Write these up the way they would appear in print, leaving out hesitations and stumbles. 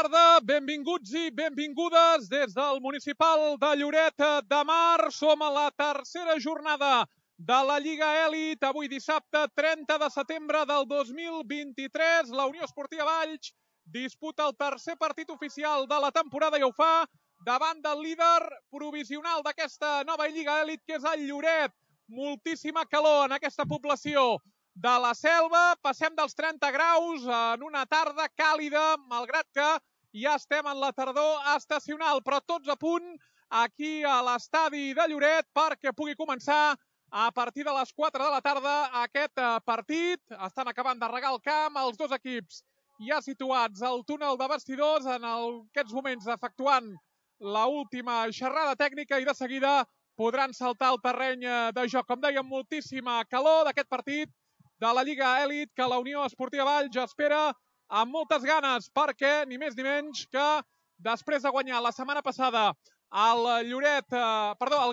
tarda, benvinguts i benvingudes des del municipal de Lloret de Mar. Som a la tercera jornada de la Lliga Elit. Avui dissabte 30 de setembre del 2023. La Unió Esportiva Valls disputa el tercer partit oficial de la temporada i ho fa davant del líder provisional d'aquesta nova Lliga Elit, que és el Lloret. Moltíssima calor en aquesta població de la Selva. Passem dels 30 graus en una tarda càlida, malgrat que ja estem en la tardor estacional, però tots a punt aquí a l'estadi de Lloret perquè pugui començar a partir de les 4 de la tarda aquest partit. Estan acabant de regar el camp els dos equips ja situats al túnel de vestidors, en aquests moments efectuant l'última xerrada tècnica, i de seguida podran saltar al terreny de joc. Com dèiem, moltíssima calor d'aquest partit de la Lliga Elit que la Unió Esportiva Valls espera amb moltes ganes, perquè ni més ni menys que després de guanyar la setmana passada el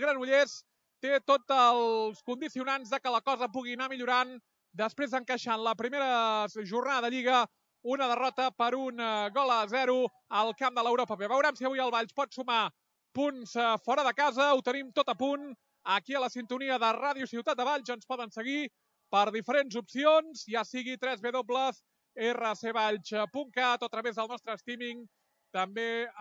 Granollers, té tots els condicionants de que la cosa pugui anar millorant després d'encaixar en la primera jornada de Lliga una derrota per 1-0 al camp de l'Europa B. Veurem si avui el Valls pot sumar punts fora de casa. Ho tenim tot a punt aquí a la sintonia de Ràdio Ciutat de Valls. Ens poden seguir per diferents opcions, ja sigui www.rcvalls.cat o a través del nostre streaming, també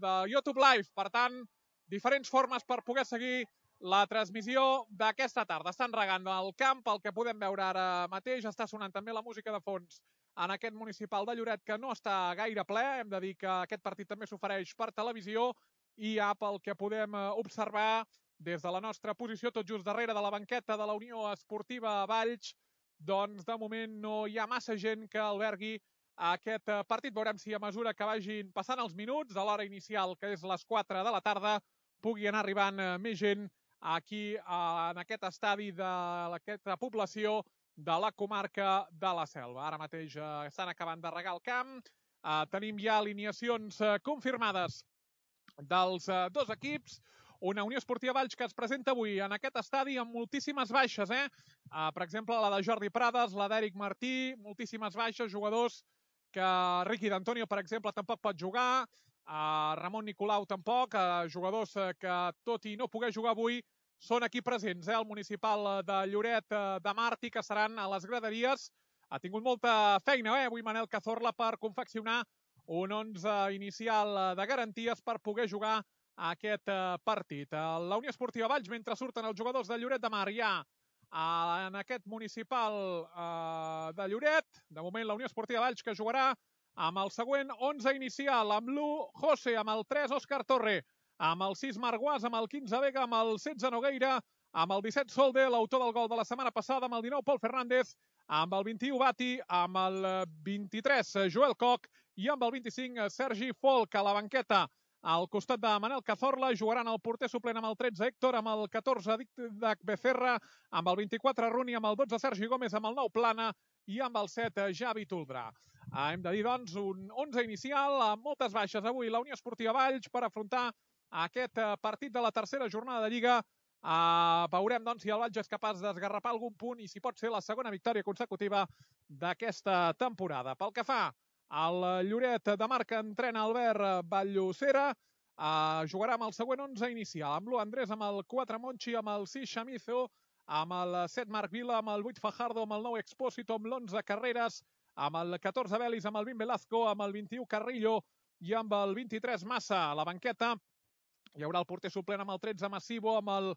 de YouTube Live. Per tant, diferents formes per poder seguir la transmissió d'aquesta tarda. Estan regant el camp, el que podem veure ara mateix. Està sonant també la música de fons en aquest municipal de Lloret, que no està gaire ple. Hem de dir que aquest partit també s'ofereix per televisió i ja pel que podem observar des de la nostra posició, tot just darrere de la banqueta de la Unió Esportiva Valls, doncs de moment no hi ha massa gent que albergui aquest partit. Veurem si a mesura que vagin passant els minuts de l'hora inicial, que és les 4 de la tarda, pugui anar arribant més gent aquí en aquest estadi d'aquesta població de la comarca de la Selva. Ara mateix estan acabant de regar el camp. Tenim ja alineacions confirmades dels dos equips. Una Unió Esportiva Valls que es presenta avui en aquest estadi amb moltíssimes baixes. Per exemple, la de Jordi Prades, la d'Eric Martí, moltíssimes baixes, jugadors que Riqui d'Antonio, per exemple, tampoc pot jugar, Ramon Nicolau tampoc, jugadors que, tot i no poder jugar avui, són aquí presents. El municipal de Lloret de Mar, que seran a les graderies. Ha tingut molta feina avui Manel Cazorla per confeccionar un 11 inicial de garanties per poder jugar aquest partit. La Unió Esportiva Valls, mentre surten els jugadors de Lloret de Mar, ja en aquest municipal de Lloret. De moment, la Unió Esportiva Valls, que jugarà amb el següent 11 inicial, amb l'1 José, amb el 3 Òscar Torre, amb el 6 Marc Guas, amb el 15 Vega, amb el 16 Nogueira, amb el 17 Solde, l'autor del gol de la setmana passada, amb el 19 Pol Fernández, amb el 21 Bati, amb el 23 Joel Coc i amb el 25 Sergi Folk. A la banqueta, al costat de Manel Cazorla, jugaran el porter suplent amb el 13 Héctor, amb el 14 Didac Becerra, amb el 24 Runi, amb el 12 Sergi Gómez, amb el 9 Plana i amb el 7 Javi Toldrà. Hem de dir, doncs, un 11 inicial amb moltes baixes avui la Unió Esportiva Valls per afrontar aquest partit de la tercera jornada de Lliga. Veurem, doncs, si el Valls és capaç d'esgarrapar algun punt i si pot ser la segona victòria consecutiva d'aquesta temporada. Pel que fa al Lloret de Mar, que entrena Albert Vallocera, jugarà amb el següent 11 inicial, amb l'1 Andrés, amb el 4 Monchi, amb el 6 Chamizo, amb el 7 Marc Vila, amb el 8 Fajardo, amb el 9 Expósito, amb l'11 Carreras, amb el 14 Belis, amb el 20 Velazco, amb el 21 Carrillo i amb el 23 Massa. A la banqueta hi haurà el porter suplent amb el 13 Massivo, amb el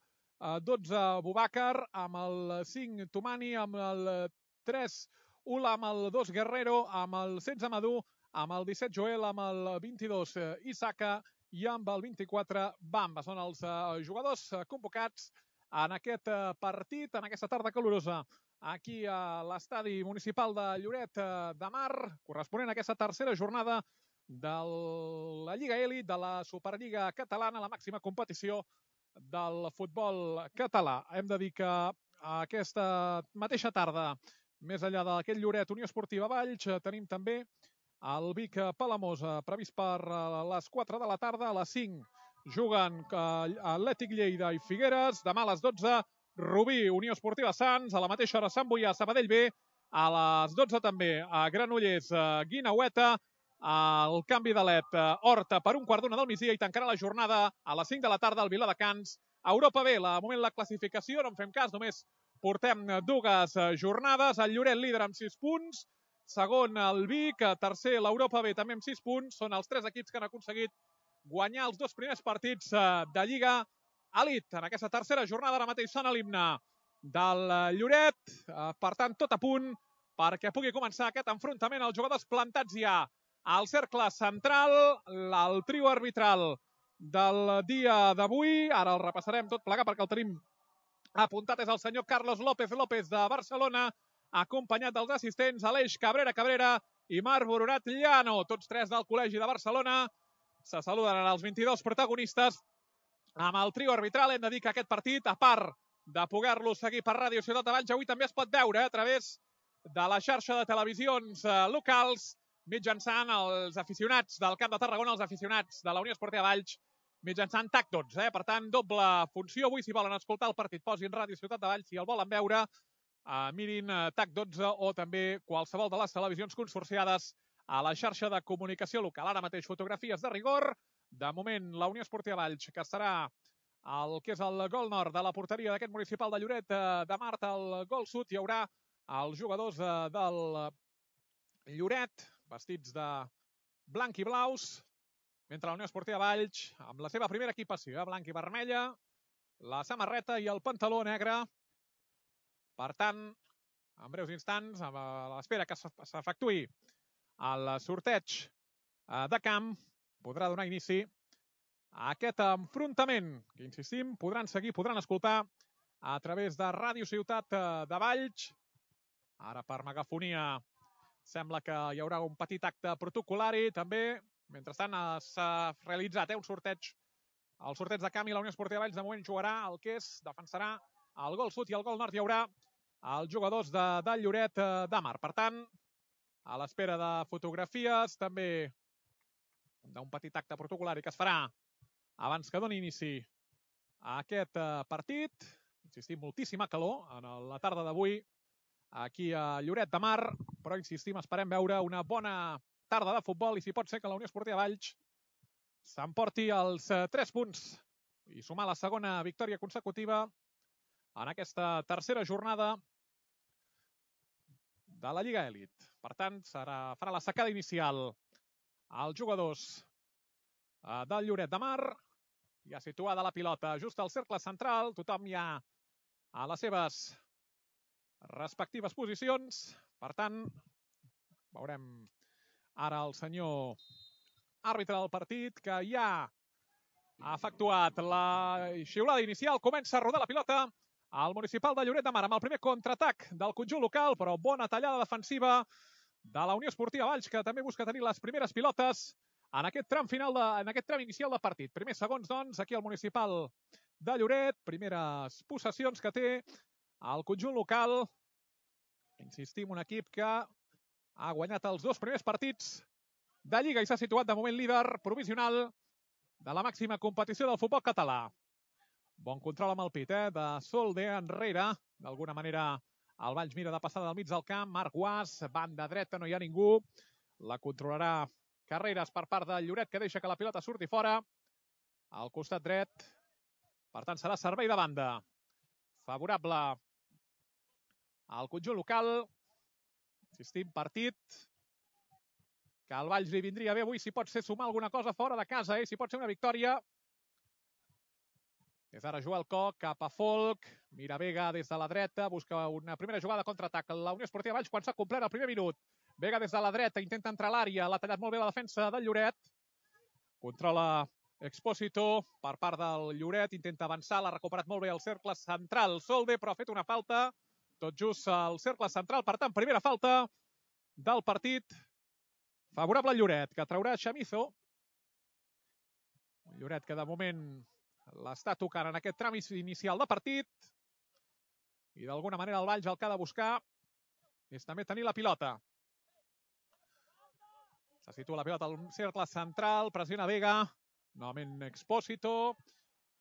12 Bubàcar, amb el 5 Tomani, amb el 3 Ula, amb el 2 Guerrero, amb el 16 Madú, amb el 17 Joel, amb el 22 Isaka i amb el 24 Bamba. Són els jugadors convocats en aquest partit, en aquesta tarda calorosa, aquí a l'estadi municipal de Lloret de Mar, corresponent a aquesta tercera jornada de la Lliga Elit, de la Superliga Catalana, la màxima competició del futbol català. Hem de dir que aquesta mateixa tarda, més enllà d'aquest Lloret Unió Esportiva Valls, tenim també el Vic Palamós, previst per les 4 de la tarda. A les 5 juguen Atlètic Lleida i Figueres. Demà a les 12, Rubí, Unió Esportiva Sants. A la mateixa hora, Sant Boià, Sabadell B. A les 12 també, a Granollers, Guinaueta. el canvi de LED Horta per un quart d'una del migdia i tancarà la jornada a les 5 de la tarda al Viladecans. Europa B, de moment la classificació, no en fem cas, només portem dues jornades. El Lloret líder amb 6 punts, segon el Vic, tercer l'Europa B també amb 6 punts. Són els 3 equips que han aconseguit guanyar els 2 primers partits de Lliga Elite. En aquesta tercera jornada ara mateix sona l'himne del Lloret, per tant tot a punt perquè pugui començar aquest enfrontament. Els jugadors plantats ja al cercle central, el trio arbitral del dia d'avui. Ara el repassarem tot plegat perquè el tenim apuntat. És el senyor Carlos López López de Barcelona, acompanyat dels assistents Aleix Cabrera i Marc Boronat Llano, tots 3 del Col·legi de Barcelona. Se saluden els 22 protagonistes amb el trio arbitral. Hem de dir que aquest partit, a part de poder-lo seguir per Ràdio Ciutat de Valls, avui també es pot veure a través de la xarxa de televisions locals, mitjançant els aficionats del Camp de Tarragona, els aficionats de la Unió Esportiva Valls, mitjançant TAC12. Per tant, doble funció. Avui, si volen escoltar el partit, posin Ràdio Ciutat de Valls. Si el volen veure, mirin TAC12 o també qualsevol de les televisions consorciades a la xarxa de comunicació local. Ara mateix fotografies de rigor. De moment, la Unió Esportiva Valls, que serà el que és el gol nord de la porteria d'aquest municipal de Lloret de Mar. El gol sud hi haurà els jugadors del Lloret, vestits de blanc i blaus, mentre la Unió Esportiva Valls, amb la seva primera equipació, blanc i vermella, la samarreta i el pantaló negre. Per tant, en breus instants, a l'espera que s'efectuï el sorteig de camp, podrà donar inici a aquest enfrontament, que, insistim, podran seguir, podran escoltar a través de Ràdio Ciutat de Valls. Ara, per megafonia, sembla que hi haurà un petit acte protocolari, també. Mentrestant, s'ha realitzat un sorteig, el sorteig de camp, i la Unió Esportiva Valls de moment jugarà el que és, defensarà el gol sud i el gol nord. Hi haurà els jugadors del Lloret de Mar. Per tant, a l'espera de fotografies, també d'un petit acte protocolari que es farà abans que doni inici a aquest partit. Insistim, moltíssima calor en la tarda d'avui aquí a Lloret de Mar, però insistim, esperem veure una bona tarda de futbol i si pot ser que la Unió Esportiva Valls s'emporti els 3 punts i sumar la segona victòria consecutiva en aquesta tercera jornada de la Lliga Elite. Per tant, farà la secada inicial als jugadors del Lloret de Mar. Ja situada la pilota just al cercle central, tothom ja a les seves respectives posicions. Per tant, veurem ara el senyor àrbitre del partit, que ja ha efectuat la xiulada inicial. Comença a rodar la pilota al municipal de Lloret de Mar amb el primer contraatac del conjunt local, però bona tallada defensiva de la Unió Esportiva Valls, que també busca tenir les primeres pilotes en aquest tram final, en aquest tram inicial de partit. Primers segons, doncs, aquí al municipal de Lloret. Primeres possessions que té el conjunt local. Insistim, un equip que ha guanyat els 2 primers partits de Lliga i s'ha situat de moment líder provisional de la màxima competició del futbol català. Bon control amb el pit, de Solde enrere. D'alguna manera el Valls mira de passada del mig del camp. Marc Guas, banda dreta, no hi ha ningú. La controlarà Carreras per part del Lloret, que deixa que la pilota surti fora al costat dret. Per tant, serà servei de banda favorable al conjunt local. Insistim, partit que al Valls li vindria bé avui, si pot ser sumar alguna cosa fora de casa, si pot ser una victòria. És ara Joel Koch cap a Folk. Mira Vega des de la dreta, busca una primera jugada de contraatac. La Unió Esportiva Valls quan s'ha complert el primer minut. Vega des de la dreta, intenta entrar a l'àrea, l'ha tallat molt bé la defensa del Lloret. Controla Expósito per part del Lloret, intenta avançar, l'ha recuperat molt bé el cercle central. Solde, però ha fet una falta tot just al cercle central. Per tant, primera falta del partit favorable al Lloret, que traurà Chamizo. Un Lloret que de moment l'està tocant en aquest tram inicial de partit. I d'alguna manera el Valls el que ha de buscar és també tenir la pilota. Se situa la pilota al cercle central, pressiona Vega, novament Expósito,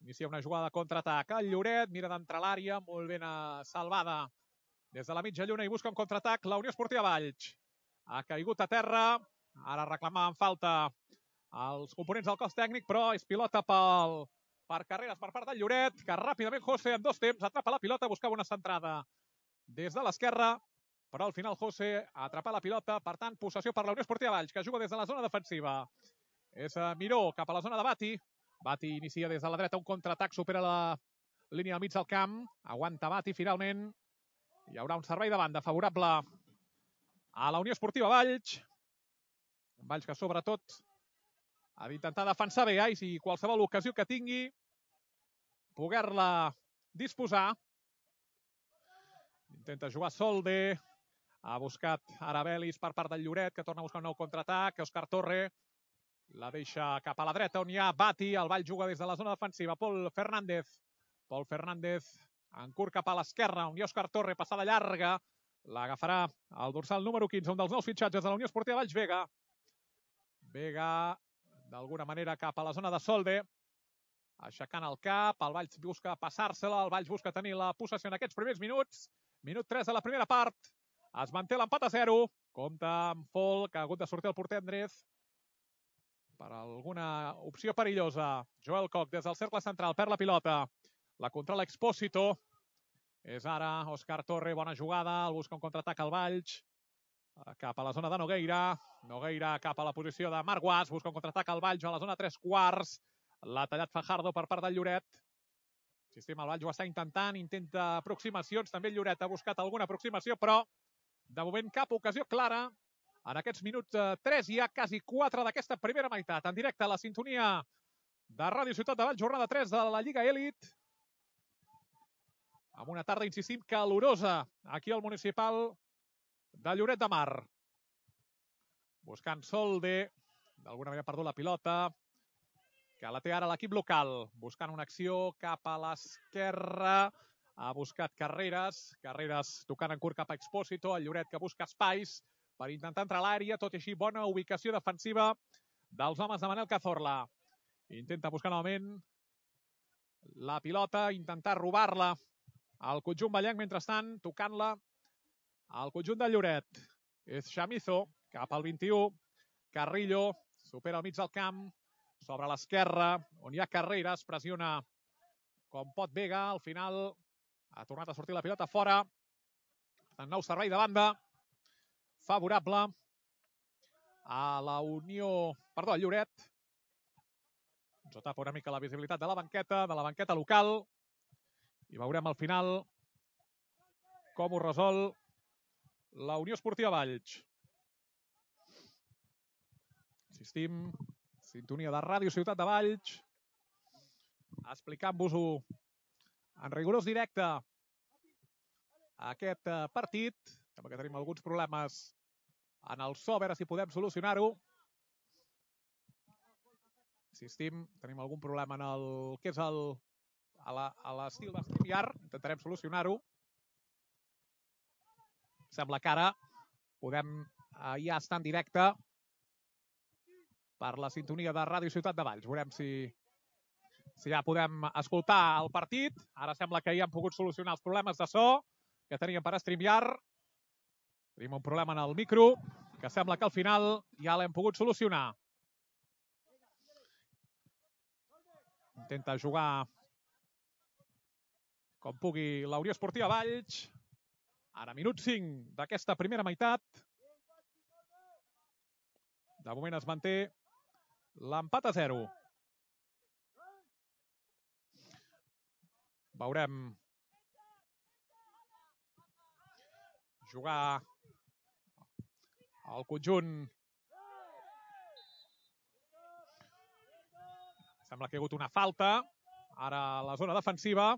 inicia una jugada de contraatac. El Lloret mira d'entrar a l'àrea, molt ben salvada des de la mitja lluna i busca un contraatac. La Unió Esportiva Valls ha caigut a terra, Ara reclamaven falta els components del cos tècnic, però és pilota per Carreras per part del Lloret, que ràpidament José en 2 temps atrapa la pilota, buscava una centrada des de l'esquerra, però al final José atrapa la pilota, per tant, possessió per la Unió Esportiva Valls, que juga des de la zona defensiva. És Miró cap a la zona de Bati. Bati inicia des de la dreta un contraatac, supera la línia al mig del camp, aguanta Bati finalment. Hi haurà un servei de banda favorable a la Unió Esportiva Valls. Valls que sobretot ha d'intentar defensar bé i qualsevol ocasió que tingui poder-la disposar. Intenta jugar Solde. Ha buscat Arabelis per part del Lloret, que torna a buscar un nou contraatac. Òscar Torre la deixa cap a la dreta, on hi ha Bati. El Vall juga des de la zona defensiva. Pol Fernández. Pol Fernández en curt cap a l'esquerra, on hi ha Òscar Torre, passada llarga. L'agafarà el dorsal número 15, un dels nous fitxatges de la Unió Esportiva Valls, Vega. Vega, d'alguna manera, cap a la zona de Solde. Aixecant el cap, el Valls busca passar-se-la, el Valls busca tenir la possessió en aquests primers minuts. Minut 3 de la primera part. Es manté l'empat a 0. Compta amb Fol, que ha hagut de sortir el porter Andrés per alguna opció perillosa. Joel Koch des del cercle central, perd la pilota. La controla Expósito. És ara Òscar Torre, bona jugada. El busca un contraatac al Valls. Cap a la zona de Nogueira. Nogueira cap a la posició de Marc Guas. Busca un contraatac al Valls a la zona 3/4. L'ha tallat Fajardo per part del Lloret. Insistim, el Valls ho està intentant, intenta aproximacions. També el Lloret ha buscat alguna aproximació, però de moment cap ocasió clara. En aquests minuts 3 hi ha quasi 4 d'aquesta primera meitat. En directe a la sintonia de Ràdio Ciutat de Valls, jornada 3 de la Lliga Elit. Amb una tarda, insistim, calorosa aquí al municipal de Lloret de Mar. Buscant Solde. D'alguna manera ha perdut la pilota, que la té ara l'equip local. Buscant una acció cap a l'esquerra. Ha buscat Carreras. Carreras tocant en curt cap a Expósito. El Lloret que busca espais per intentar entrar a l'àrea. Tot i així, bona ubicació defensiva dels homes de Manel Cazorla. Intenta buscar novament la pilota, intentar robar-la al conjunt ballenc, mentrestant, tocant-la al conjunt del Lloret. És Chamizo, cap al 21. Carrillo, supera al mig del camp, sobre l'esquerra, on hi ha Carreras, pressiona com pot Vega. Al final ha tornat a sortir la pilota fora. En nou servei de banda favorable a la Unió... Perdó, al Lloret. Ens tapa una mica la visibilitat de la banqueta local. I veurem al final com ho resol la Unió Esportiva Valls. Insistim, sintonia de Ràdio Ciutat de Valls, explicant-vos-ho en rigorós directe aquest partit. Sembla que tenim alguns problemes en el so, a veure si podem solucionar-ho. Insistim, tenim algun problema en el que és a l'estil de StreamYard. Intentarem solucionar-ho. Sembla que ara podem ja estar en directe per la sintonia de Ràdio Ciutat de Valls. Veurem si ja podem escoltar el partit. Ara sembla que ja hem pogut solucionar els problemes de so que teníem per StreamYard. Tenim un problema en el micro que sembla que al final ja l'hem pogut solucionar. Intenta jugar com pugui la Unió Esportiva Valls. Ara, minut 5 d'aquesta primera meitat. De moment es manté l'empat a 0. Veurem jugar el conjunt. Sembla que hi ha hagut una falta. Ara a la zona defensiva.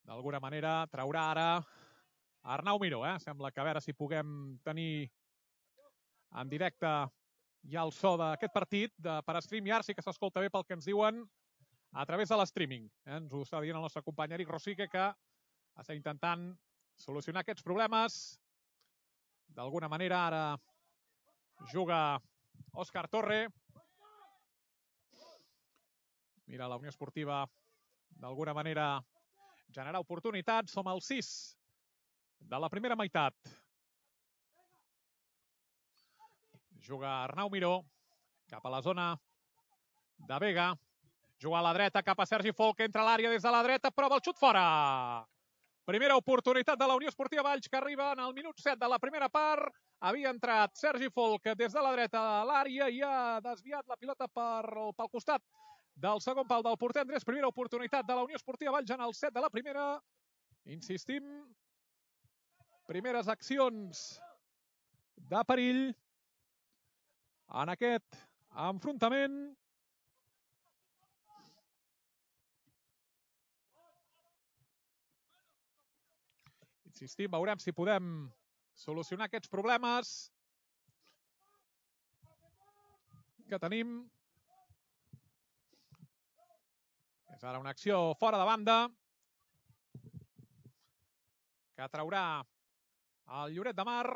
D'alguna manera traurà ara Arnau Miró. Sembla que a veure si puguem tenir en directe ja el so d'aquest partit per StreamYard. Sí que s'escolta bé pel que ens diuen a través de l'streaming. Ens ho està dient el nostre company Eric Rosique, que està intentant solucionar aquests problemes. D'alguna manera ara juga Òscar Torre. Mira la Unió Esportiva d'alguna manera generar oportunitats. Som al 6 de la primera meitat. Juga Arnau Miró. Cap a la zona de Vega. Juga a la dreta cap a Sergi Folk. Entra a l'àrea des de la dreta. Prova el xut fora. Primera oportunitat de la Unió Esportiva Valls que arriba en el minut 7 de la primera part. Havia entrat Sergi Folk des de la dreta a l'àrea i ha desviat la pilota pel costat del segon pal del porter Andrés. Primera oportunitat de la Unió Esportiva Valls en el 7 de la primera. Insistim, primeres accions de perill en aquest enfrontament. Insistim, veurem si podem solucionar aquests problemes que tenim. És ara una acció fora de banda que traurà el Lloret de Mar.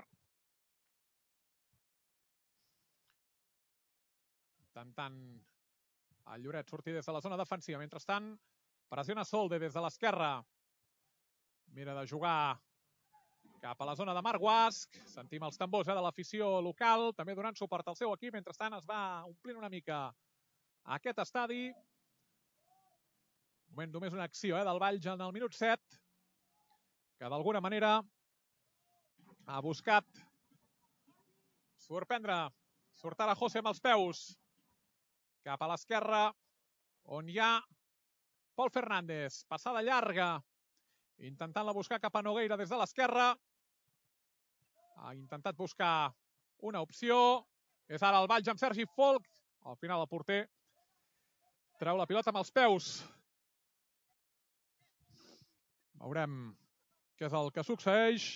Intentant el Lloret sortir des de la zona defensiva. Mentrestant, pressiona Solde des de l'esquerra. Mira de jugar cap a la zona de Marc Guasc. Sentim els tambors de l'afició local, també donant suport al seu equip. Mentrestant es va omplint una mica aquest estadi. Moment només una acció del Valls en el minut 7, que d'alguna manera ha buscat sorprendre. Surt ara José amb els peus cap a l'esquerra, on hi ha Pol Fernández. Passada llarga, intentant-la buscar cap a Nogueira des de l'esquerra. Ha intentat buscar una opció. És ara el Valls amb Sergi Folk. Al final el porter treu la pilota amb els peus. Veurem què és el que succeeix.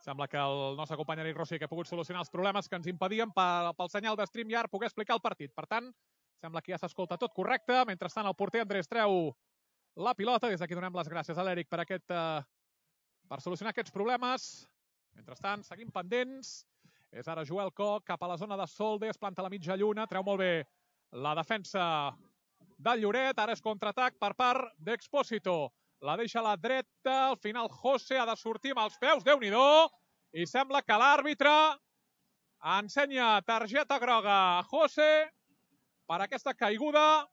Sembla que el nostre company Eric Rossi que ha pogut solucionar els problemes que ens impedien pel senyal de StreamYard poder explicar el partit. Per tant, sembla que ja s'escolta tot correcte. Mentrestant, el porter Andrés treu la pilota. Des d'aquí donem les gràcies a l'Eric per solucionar aquests problemes. Mentrestant, seguim pendents. És ara Joel Koch cap a la zona de Solde. Es planta a la mitja lluna. Treu molt bé la defensa del Lloret. Ara és contraatac per part d'Expósito. La deixa a la dreta. Al final, José ha de sortir amb els peus. Déu-n'hi-do. I sembla que l'àrbitre ensenya targeta groga a José per aquesta caiguda.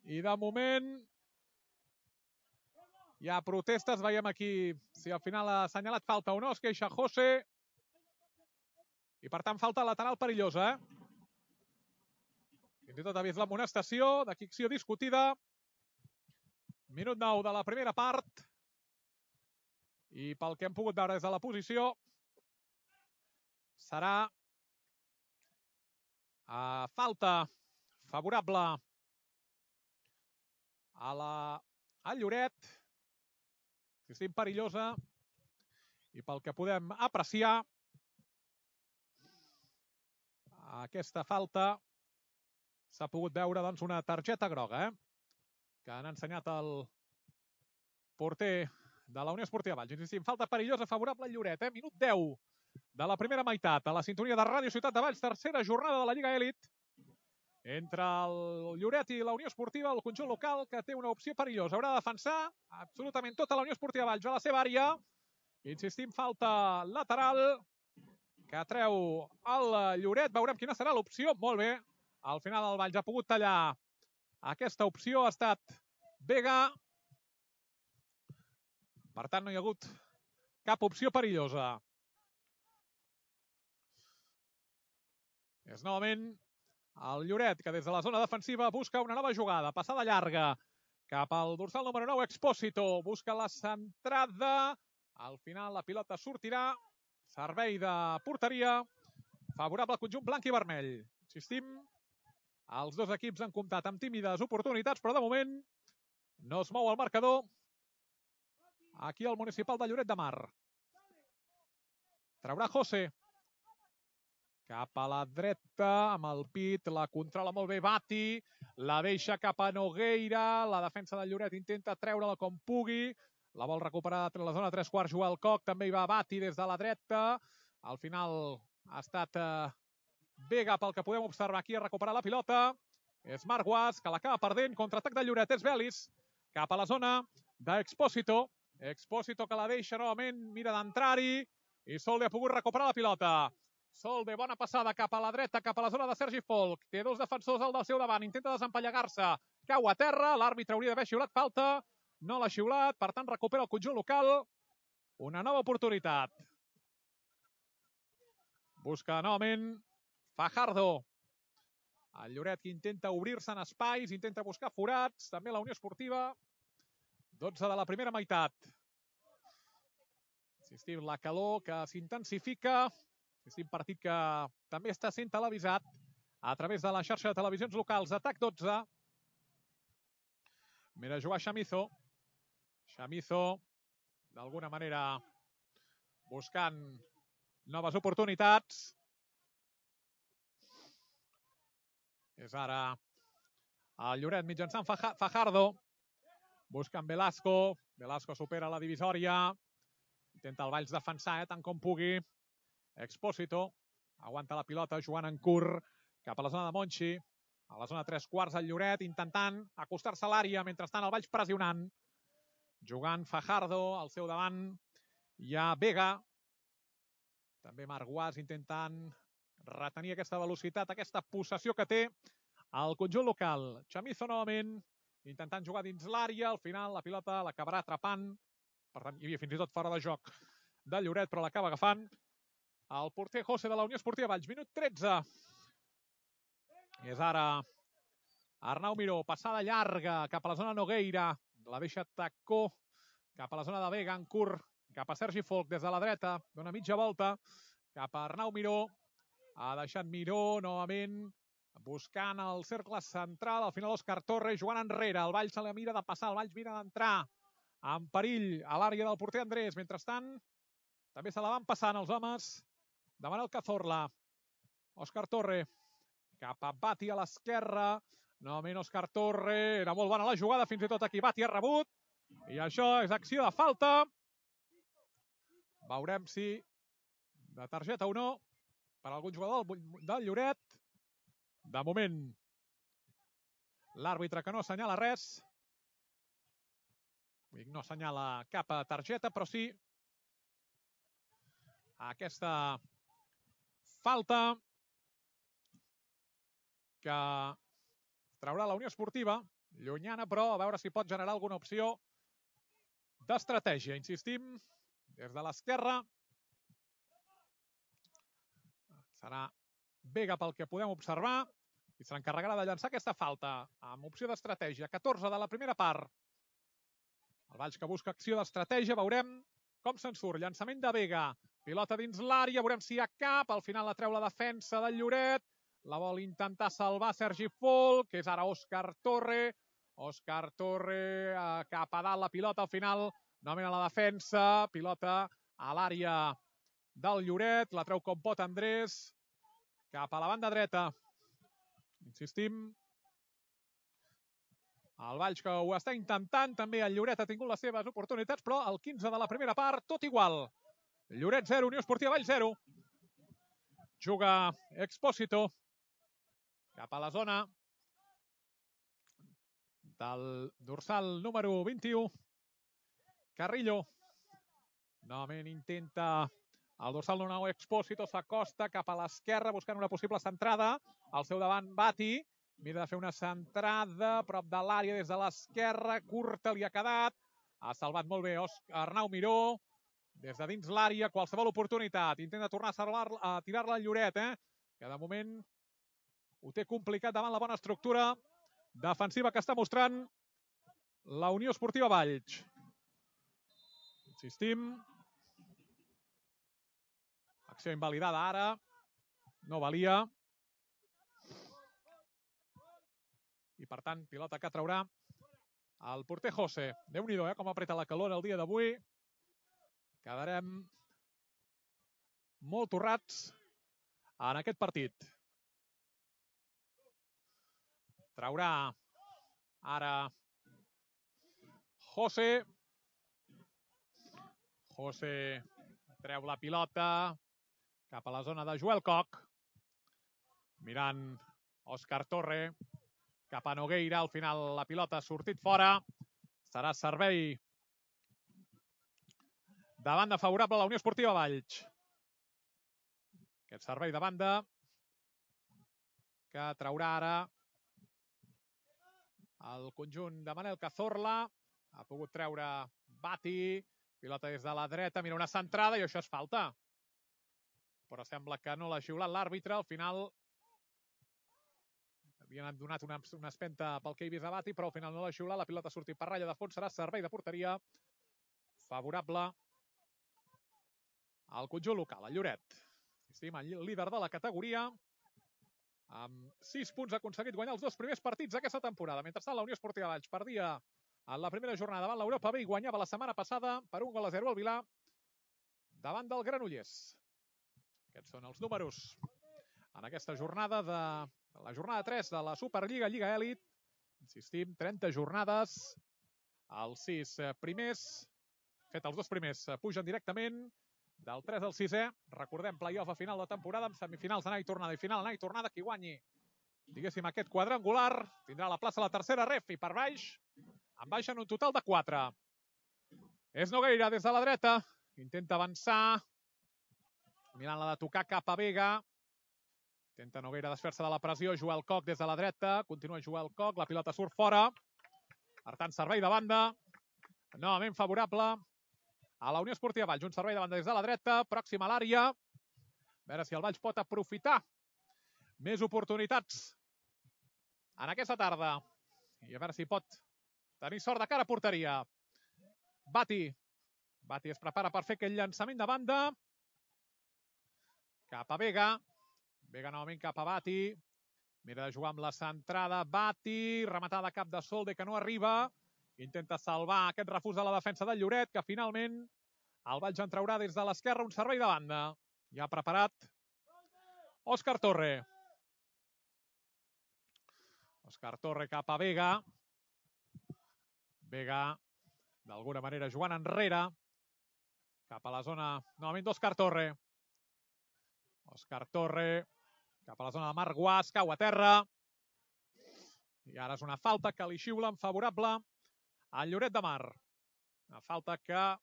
I de moment hi ha protestes. Veiem aquí si al final ha assenyalat falta o no. Es queixa José. I per tant, falta lateral perillosa. Fins i tot ha vist l'amonestació. D'aquí acció discutida. Minut 9 de la primera part. I pel que hem pogut veure des de la posició, serà falta favorable al Lloret. Insistim, perillosa. I pel que podem apreciar, aquesta falta s'ha pogut veure doncs, una targeta groga, que han ensenyat el porter de la Unió Esportiva Valls. Insistim, falta perillosa favorable al Lloret. Minut 10 de la primera meitat. A la sintonia de Ràdio Ciutat de Valls, tercera jornada de la Lliga Elit. Entre el Lloret i la Unió Esportiva, el conjunt local, que té una opció perillosa. Haurà de defensar absolutament tota la Unió Esportiva Valls a la seva àrea. Insistim, falta lateral que treu el Lloret. Veurem quina serà l'opció. Molt bé. Al final el Valls ha pogut tallar aquesta opció. Ha estat Vega. Per tant, no hi ha hagut cap opció perillosa. És novament el Lloret, que des de la zona defensiva busca una nova jugada. Passada llarga cap al dorsal número 9, Expósito. Busca la centrada. Al final la pilota sortirà. Servei de porteria. Favorable al conjunt blanc i vermell. Insistim, els dos equips han comptat amb tímides oportunitats, però de moment no es mou el marcador. Aquí el municipal de Lloret de Mar. Traurà José. Cap a la dreta, amb el pit, la controla molt bé Bati, la deixa cap a Nogueira, la defensa del Lloret intenta treure-la com pugui, la vol recuperar a la zona 3/4 Joel Koch, també hi va Bati des de la dreta, al final ha estat Vega pel que podem observar aquí a recuperar la pilota, és Marc Guasc, que l'acaba perdent, contraatac del Lloret, és Belis, cap a la zona d'Expósito, Expósito que la deixa novament, mira d'entrar-hi, i Solde ha pogut recuperar la pilota. Solde, bona passada cap a la dreta, cap a la zona de Sergi Folk. Té dos defensors al del seu davant, intenta desempallegar-se. Cau a terra, l'àrbitre hauria d'haver xiulat falta. No l'ha xiulat, per tant recupera el conjunt local. Una nova oportunitat. Busca novament Fajardo. El Lloret que intenta obrir-se en espais, intenta buscar forats. També la Unió Esportiva. 12 de la primera meitat. Insistim, la calor que s'intensifica. Insistim, partit que també està sent televisat a través de la xarxa de televisions locals de TAC12. Mira jugar Chamizo. Chamizo, d'alguna manera, buscant noves oportunitats. És ara el Lloret mitjançant Fajardo. Buscant Velasco. Velasco supera la divisòria. Intenta el Valls defensar, tant com pugui. Expósito. Aguanta la pilota, jugant en curt cap a la zona de Monchi. A la zona 3/4 el Lloret, intentant acostar-se a l'àrea. Mentrestant el Valls pressionant. Jugant Fajardo, al seu davant hi ha Vega. També Marc Guas intentant retenir aquesta velocitat, aquesta possessió que té el conjunt local. Chamizo novament, intentant jugar dins l'àrea. Al final la pilota l'acabarà atrapant. Per tant, hi havia fins i tot fora de joc del Lloret, però l'acaba agafant el porter José de la Unió Esportiva Valls. Minut 13. És ara Arnau Miró, passada llarga cap a la zona Nogueira. La deixa tacó cap a la zona de Vega, en curt, cap a Sergi Folk des de la dreta. Dona mitja volta cap a Arnau Miró. Ha deixat Miró novament buscant el cercle central. Al final Òscar Torres jugant enrere. El Valls se la mira de passar, el Valls mira d'entrar en perill a l'àrea del porter Andrés. Mentrestant, també se la van passant els homes de Manel Cazorla. Òscar Torre cap a Bati a l'esquerra. Novament Òscar Torre. Era molt bona la jugada, fins i tot aquí Bati ha rebut. I això és acció de falta. Veurem si de targeta o no per algun jugador del Lloret. De moment, l'àrbitre que no assenyala res. No assenyala cap targeta, però sí aquesta falta que traurà la Unió Esportiva. Llunyana, però a veure si pot generar alguna opció d'estratègia. Insistim, des de l'esquerra. Serà Vega pel que podem observar i se l'encarregarà de llançar aquesta falta amb opció d'estratègia. 14 de la primera part. El Valls que busca acció d'estratègia. Veurem com se'n surt. Llançament de Vega. Pilota dins l'àrea. Veurem si hi ha cap. Al final la treu la defensa del Lloret. La vol intentar salvar Sergi Folk, que és ara Òscar Torre. Òscar Torre cap a dalt la pilota. Al final, novament a la defensa. Pilota a l'àrea del Lloret. La treu com pot Andrés. Cap a la banda dreta. Insistim. El Valls que ho està intentant. També el Lloret ha tingut les seves oportunitats, però al 15 de la primera part, tot igual. Lloret 0, Unió Esportiva Valls 0. Juga Expósito cap a la zona del dorsal número 21. Carrillo. Novament intenta el dorsal número 1 Expósito, s'acosta cap a l'esquerra buscant una possible centrada. Al seu davant Bati. Mira de fer una centrada a prop de l'àrea des de l'esquerra. Curta li ha quedat. Ha salvat molt bé Arnau Miró. Des de dins l'àrea, qualsevol oportunitat. Intenta tornar a tirar-la al Lloret, que de moment ho té complicat davant la bona estructura defensiva que està mostrant la Unió Esportiva Valls. Insistim. Acció invalidada ara. No valia. I per tant, pilota que traurà el porter José. Déu-n'hi-do, com apreta la calor el dia d'avui. Quedarem molt torrats en aquest partit. Traurà ara José. José treu la pilota cap a la zona de Joel Coc. Mirant Òscar Torre. Cap a Nogueira. Al final la pilota ha sortit fora. Serà servei de banda favorable a la Unió Esportiva Valls. Aquest servei de banda que traurà ara el conjunt de Manel Cazorla. Ha pogut treure Bati. Pilota des de la dreta. Mira, una centrada i això és falta. Però sembla que no l'ha xiulat l'àrbitre. Al final havien donat una espenta pel que he vist a Bati, però al final no l'ha xiulat. La pilota ha sortit per ratlla de fons. Serà servei de porteria favorable al conjunt local, el Lloret. Estima líder de la categoria. Amb 6 punts ha aconseguit guanyar els 2 primers partits d'aquesta temporada. Mentrestant, la Unió Esportiva Valls perdia en la primera jornada davant l'Europa B i guanyava la setmana passada per 1-0 al Vilar davant del Granollers. Aquests són els números en aquesta jornada la jornada 3 de la Superliga Lliga Elit. Insistim, 30 jornades. Els 6 primers, fet els 2 primers, pugen directament. Del 3 al 6è, recordem, play-off a final de temporada, amb semifinals anada i tornada i final anada i tornada. Qui guanyi, diguéssim, aquest quadrangular, tindrà la plaça a la tercera ref i per baix, en baixen un total de 4. És Nogueira des de la dreta, intenta avançar, mirant-la de tocar cap a Vega. Intenta Nogueira desfer-se de la pressió, Joel Coc des de la dreta, continua Joel Coc, la pilota surt fora. Per tant, servei de banda, novament favorable a la Unió Esportiva Valls. Un servei de banda des de la dreta, pròxima a l'àrea. A veure si el Valls pot aprofitar més oportunitats en aquesta tarda. I a veure si pot tenir sort de cara a porteria. Bati. Bati es prepara per fer aquell llançament de banda. Cap a Vega. Vega novament cap a Bati. Mira de jugar amb la centrada. Bati. Rematada cap de Solde que no arriba. Intenta salvar aquest refús de la defensa del Lloret, que finalment el Valls en traurà des de l'esquerra un servei de banda. Ja preparat Òscar Torre. Òscar Torre cap a Vega. Vega, d'alguna manera, jugant enrere. Cap a la zona, novament d'Òscar Torre. Òscar Torre, cap a la zona de Marc Guas, cau a terra. I ara és una falta que li xiula en favorable al Lloret de Mar. Una falta que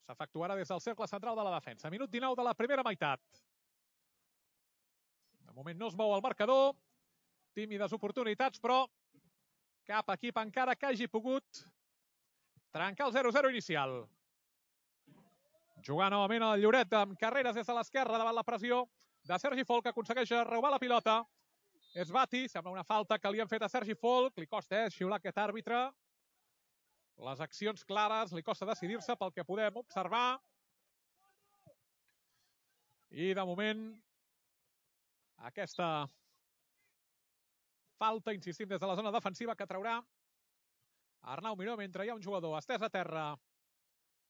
s'efectuarà des del cercle central de la defensa. Minut 19 de la primera meitat. De moment no es mou el marcador. Tímides oportunitats, però cap equip encara que hagi pogut trencar el 0-0 inicial. Jugar novament el Lloret amb carreres des de l'esquerra davant la pressió de Sergi Folk, que aconsegueix robar la pilota. És Bati, sembla una falta que li han fet a Sergi Folk. Li costa xiular aquest àrbitre. Les accions clares, li costa decidir-se pel que podem observar. I de moment, aquesta falta, insistim, des de la zona defensiva que traurà Arnau Miró mentre hi ha un jugador estès a terra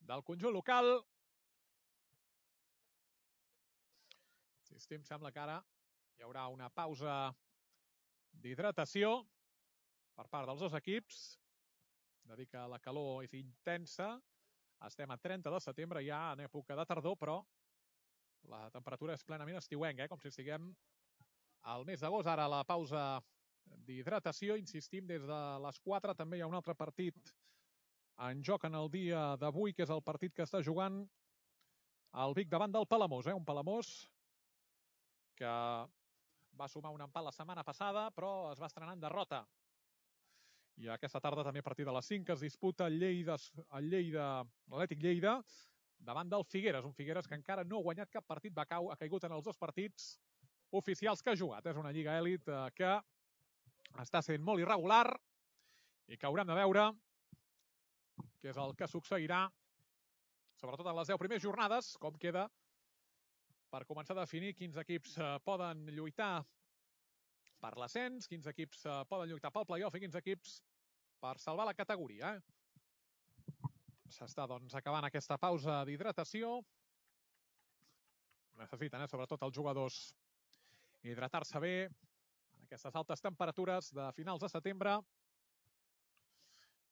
del conjunt local. Insistim, sembla que ara hi haurà una pausa d'hidratació per part dels dos equips. De dir que la calor és intensa. Estem a 30 de setembre, ja en època de tardor, però la temperatura és plenament estiuenca, com si estiguem al mes d'agost. Ara la pausa d'hidratació, insistim, des de les 4 també hi ha un altre partit en joc en el dia d'avui, que és el partit que està jugant el Vic davant del Palamós. Un Palamós que va sumar un empat la setmana passada, però es va estrenar en derrota. I aquesta tarda també a partir de les 5 es disputa l'Atlètic Lleida davant del Figueres. Un Figueres que encara no ha guanyat cap partit, ha caigut en els 2 partits oficials que ha jugat. És una lliga èlit que està sent molt irregular i que haurem de veure què és el que succeirà, sobretot en les 10 primeres jornades, com queda per començar a definir quins equips poden lluitar per l'ascens, quins equips poden lluitar pel play-off i quins equips per salvar la categoria. S'està, doncs, acabant aquesta pausa d'hidratació. Necessiten, sobretot els jugadors, hidratar-se bé en aquestes altes temperatures de finals de setembre.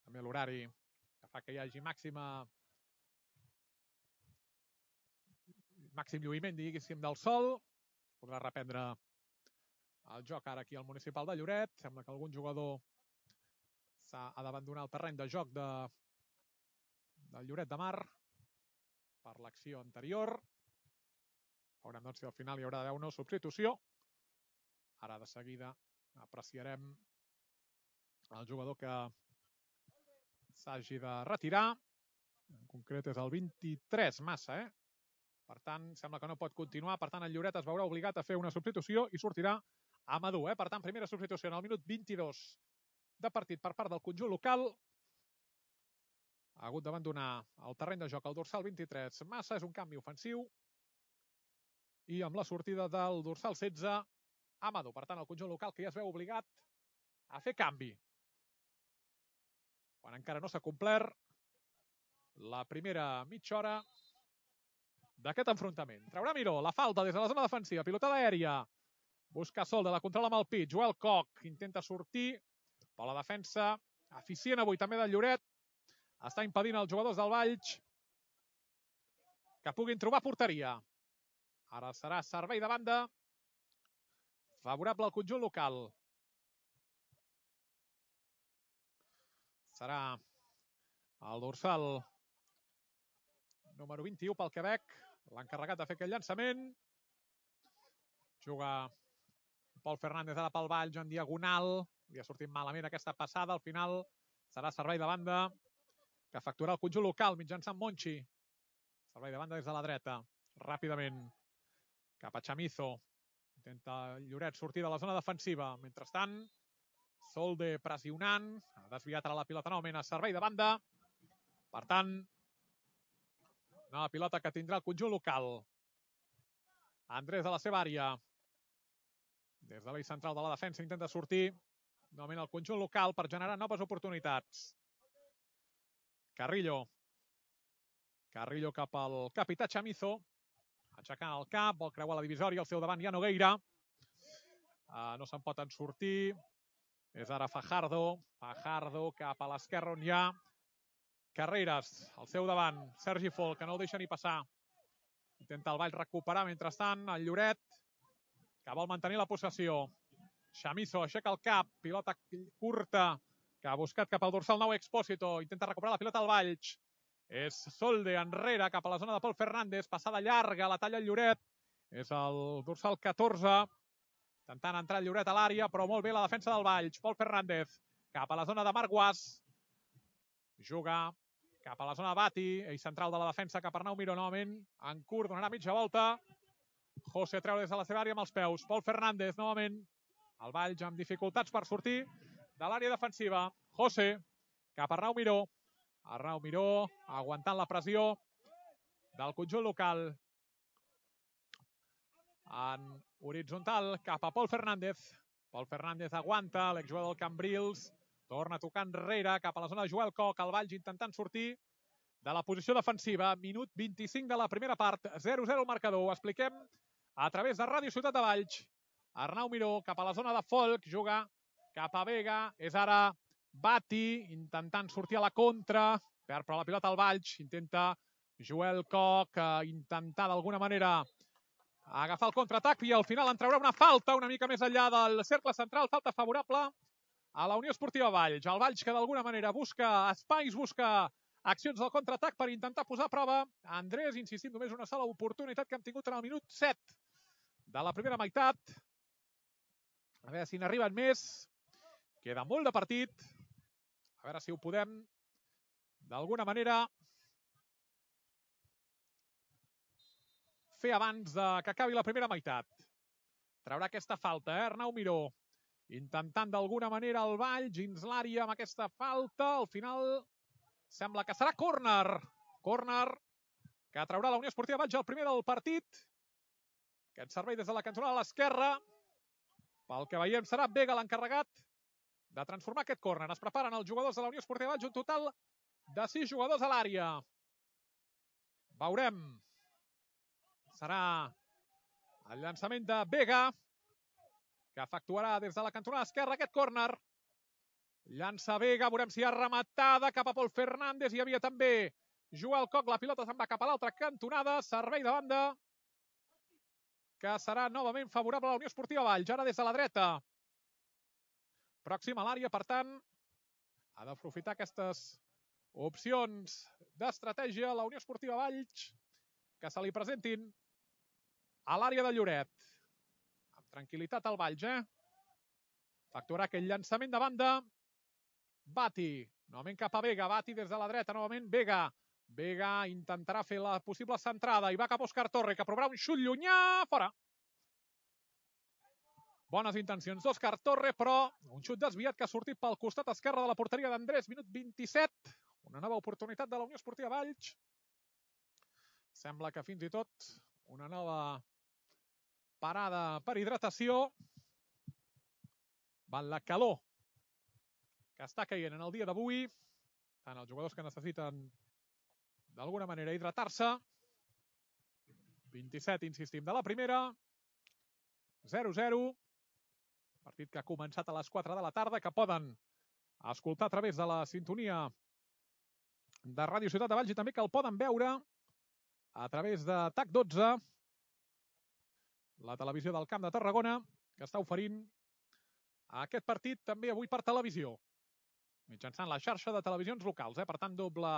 També l'horari que fa que hi hagi màxim lluïment, diguéssim, del sol. Podrà reprendre el joc ara aquí al municipal de Lloret. Sembla que algun jugador ha d'abandonar el terreny de joc del Lloret de Mar. per l'acció anterior. Veurem doncs si al final hi haurà d'haver una substitució. Ara de seguida apreciarem el jugador que s'hagi de retirar. En concret és el 23, Massa, Per tant, sembla que no pot continuar. Per tant, el Lloret es veurà obligat a fer una substitució i sortirà Amadou, Per tant, primera substitució en el minut 22 de partit per part del conjunt local. Ha hagut d'abandonar el terreny de joc el dorsal 23. Massa és un canvi ofensiu. I amb la sortida del dorsal 16, Amadou. Per tant, el conjunt local que ja es veu obligat a fer canvi. Quan encara no s'ha complert la primera mitja hora d'aquest enfrontament. Traurà Miró, la falta des de la zona defensiva, pilotada aèria. Busca Sol, de la controla amb el pit. Joel Koch intenta sortir, però la defensa eficient avui també del Lloret està impedint als jugadors del Valls que puguin trobar porteria. Ara serà servei de banda favorable al conjunt local. Serà el dorsal número 21 pel Quebec, l'encarregat de fer aquell llançament. Juga Pol Fernández ara pel Valls en diagonal. Li ha sortit malament aquesta passada. Al final serà servei de banda que efectuarà el conjunt local mitjançant Monchi. Servei de banda des de la dreta. Ràpidament cap a Chamizo. Intenta Lloret sortir de la zona defensiva. Mentrestant, Solde pressionant. Ha desviat ara la pilota novament a servei de banda. Per tant, nova pilota que tindrà el conjunt local. Andrés de la seva àrea. Des de l'eix central de la defensa intenta sortir novament el conjunt local per generar noves oportunitats. Carrillo. Carrillo cap al capità Chamizo. Aixecant el cap, vol creuar la divisòria, al seu davant hi ha Nogueira. No se'n poden sortir. És ara Fajardo. Fajardo cap a l'esquerra on hi ha Carreras. Al seu davant, Sergi Fol, que no el deixa ni passar. Intenta el Valls recuperar, mentrestant, el Lloret, que vol mantenir la possessió. Chamizo aixeca el cap, pilota curta, que ha buscat cap al dorsal 9 Expósito. Intenta recuperar la pilota al Valls. És Solde enrere, cap a la zona de Pol Fernández. Passada llarga, la talla el Lloret. És el dorsal 14. Intentant entrar el Lloret a l'àrea, però molt bé la defensa del Valls. Pol Fernández, cap a la zona de Marc Guas. Juga cap a la zona de Bati, ell central de la defensa cap a Arnau Miró novament. En curt, donarà mitja volta. José treu des de la seva àrea amb els peus. Pol Fernández novament. El Valls amb dificultats per sortir de l'àrea defensiva. José cap a Arnau Miró. Arnau Miró aguantant la pressió del conjunt local. En horitzontal cap a Pol Fernández. Pol Fernández aguanta, l'exjugador del Cambrils. Torna a tocar enrere cap a la zona de Joel Koch. El Valls intentant sortir de la posició defensiva. Minut 25 de la primera part. 0-0 el marcador. Ho expliquem a través de Ràdio Ciutat de Valls. Arnau Miró cap a la zona de Folk. Juga cap a Vega. És ara Bati intentant sortir a la contra. Perd però la pilota al Valls. Intenta Joel Koch intentar d'alguna manera agafar el contraatac i al final en traurà una falta una mica més enllà del cercle central. Falta favorable a la Unió Esportiva Valls. El Valls que d'alguna manera busca espais, busca accions del contraatac per intentar posar a prova Andrés, insistim, només una sola oportunitat que hem tingut en el minut 7 de la primera meitat. A veure si n'arriben més. Queda molt de partit. A veure si ho podem d'alguna manera fer abans que acabi la primera meitat. Traurà aquesta falta, Arnau Miró. Intentant d'alguna manera el Valls dins l'àrea amb aquesta falta. Al final sembla que serà córner. Córner que traurà la Unió Esportiva Valls el primer del partit. Aquest servei des de la cantonada a l'esquerra. Pel que veiem serà Vega l'encarregat de transformar aquest córner. Es preparen els jugadors de la Unió Esportiva Valls, un total de 6 jugadors a l'àrea. Veurem. Serà el llançament de Vega, que efectuarà des de la cantonada esquerra aquest córner. Llança Vega, veurem si hi ha rematada cap a Pol Fernández. Hi havia també Joel Koch, la pilota se'n va cap a l'altra cantonada. Servei de banda que serà novament favorable a la Unió Esportiva Valls. Ara des de la dreta. Pròxim a l'àrea, per tant, ha d'aprofitar aquestes opcions d'estratègia la Unió Esportiva Valls. que se li presentin a l'àrea de Lloret. Amb tranquil·litat al Valls, Facturarà aquell llançament de banda. Bati, novament cap a Vega. Bati des de la dreta, novament Vega. Vega intentarà fer la possible centrada i va cap a Òscar Torre, que provarà un xut llunyà. Fora. Bones intencions d'Òscar Torre, però un xut desviat que ha sortit pel costat esquerre de la porteria d'Andrés. Minut 27. Una nova oportunitat de la Unió Esportiva Valls. Sembla que fins i tot una nova parada per hidratació. Van la calor que està caient en el dia d'avui. Tant els jugadors que necessiten d'alguna manera hidratar-se. 27, insistim, de la primera. 0-0. Partit que ha començat a les 4 de la tarda, que poden escoltar a través de la sintonia de Ràdio Ciutat de Valls i també que el poden veure a través de TAC12, la televisió del Camp de Tarragona, que està oferint aquest partit també avui per televisió, mitjançant la xarxa de televisions locals. Per tant, doble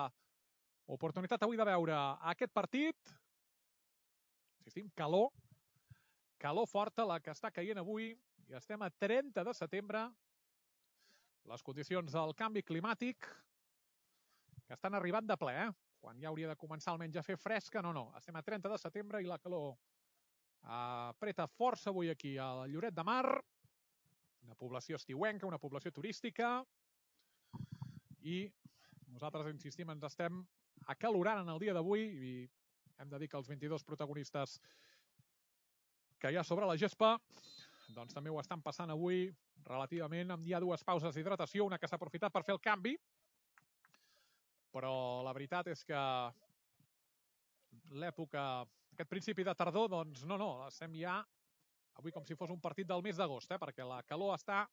oportunitat avui de veure aquest partit. Insistim, calor forta la que està caient avui i estem a 30 de setembre. Les condicions del canvi climàtic que estan arribant de ple, quan ja hauria de començar almenys a fer fresca. No, estem a 30 de setembre i la calor apreta força avui aquí a Lloret de Mar, una població estiuenca, una població turística, i nosaltres, insistim, ens estem acalorant en el dia d'avui i hem de dir que els 22 protagonistes que hi ha sobre la gespa doncs també ho estan passant avui relativament. Hi ha dues pauses d'hidratació, una que s'ha aprofitat per fer el canvi, però la veritat és que l'època, aquest principi de tardor, doncs no, estem ja avui com si fos un partit del mes d'agost, perquè la calor està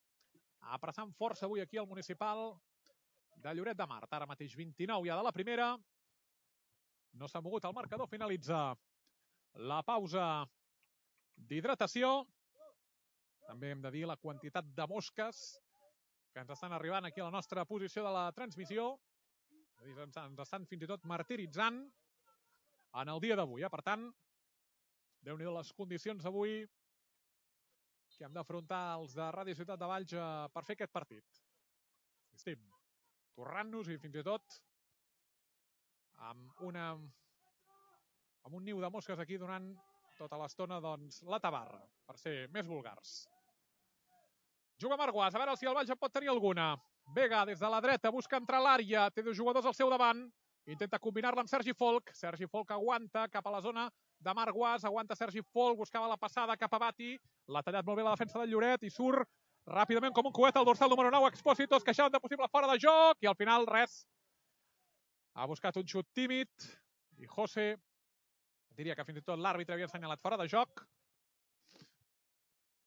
apressant força avui aquí al municipal de Lloret de Mar. Ara mateix 29 ja de la primera. No s'ha mogut el marcador, finalitza la pausa d'hidratació. També hem de dir la quantitat de mosques que ens estan arribant aquí a la nostra posició de la transmissió. Ens estan fins i tot martiritzant en el dia d'avui. Per tant, déu-n'hi-do les condicions avui que hem d'afrontar els de Ràdio Ciutat de Valls per fer aquest partit. Estem torrant-nos i fins i tot amb un niu de mosques aquí donant tota l'estona la tabarra, per ser més vulgars. Juga Marguàs, a veure si el Valls en pot tenir alguna. Vega des de la dreta, busca entrar a l'àrea, té dos jugadors al seu davant, intenta combinar-la amb Sergi Folk. Sergi Folk aguanta cap a la zona de Marguàs, aguanta Sergi Folk, buscava la passada cap a Bati, l'ha tallat molt bé la defensa del Lloret i surt ràpidament com un coet al dorsal número 9, Expósito, es queixaven de possible fora de joc i al final res. Ha buscat un xut tímid i José, diria que fins i tot l'àrbitre havia assenyalat fora de joc.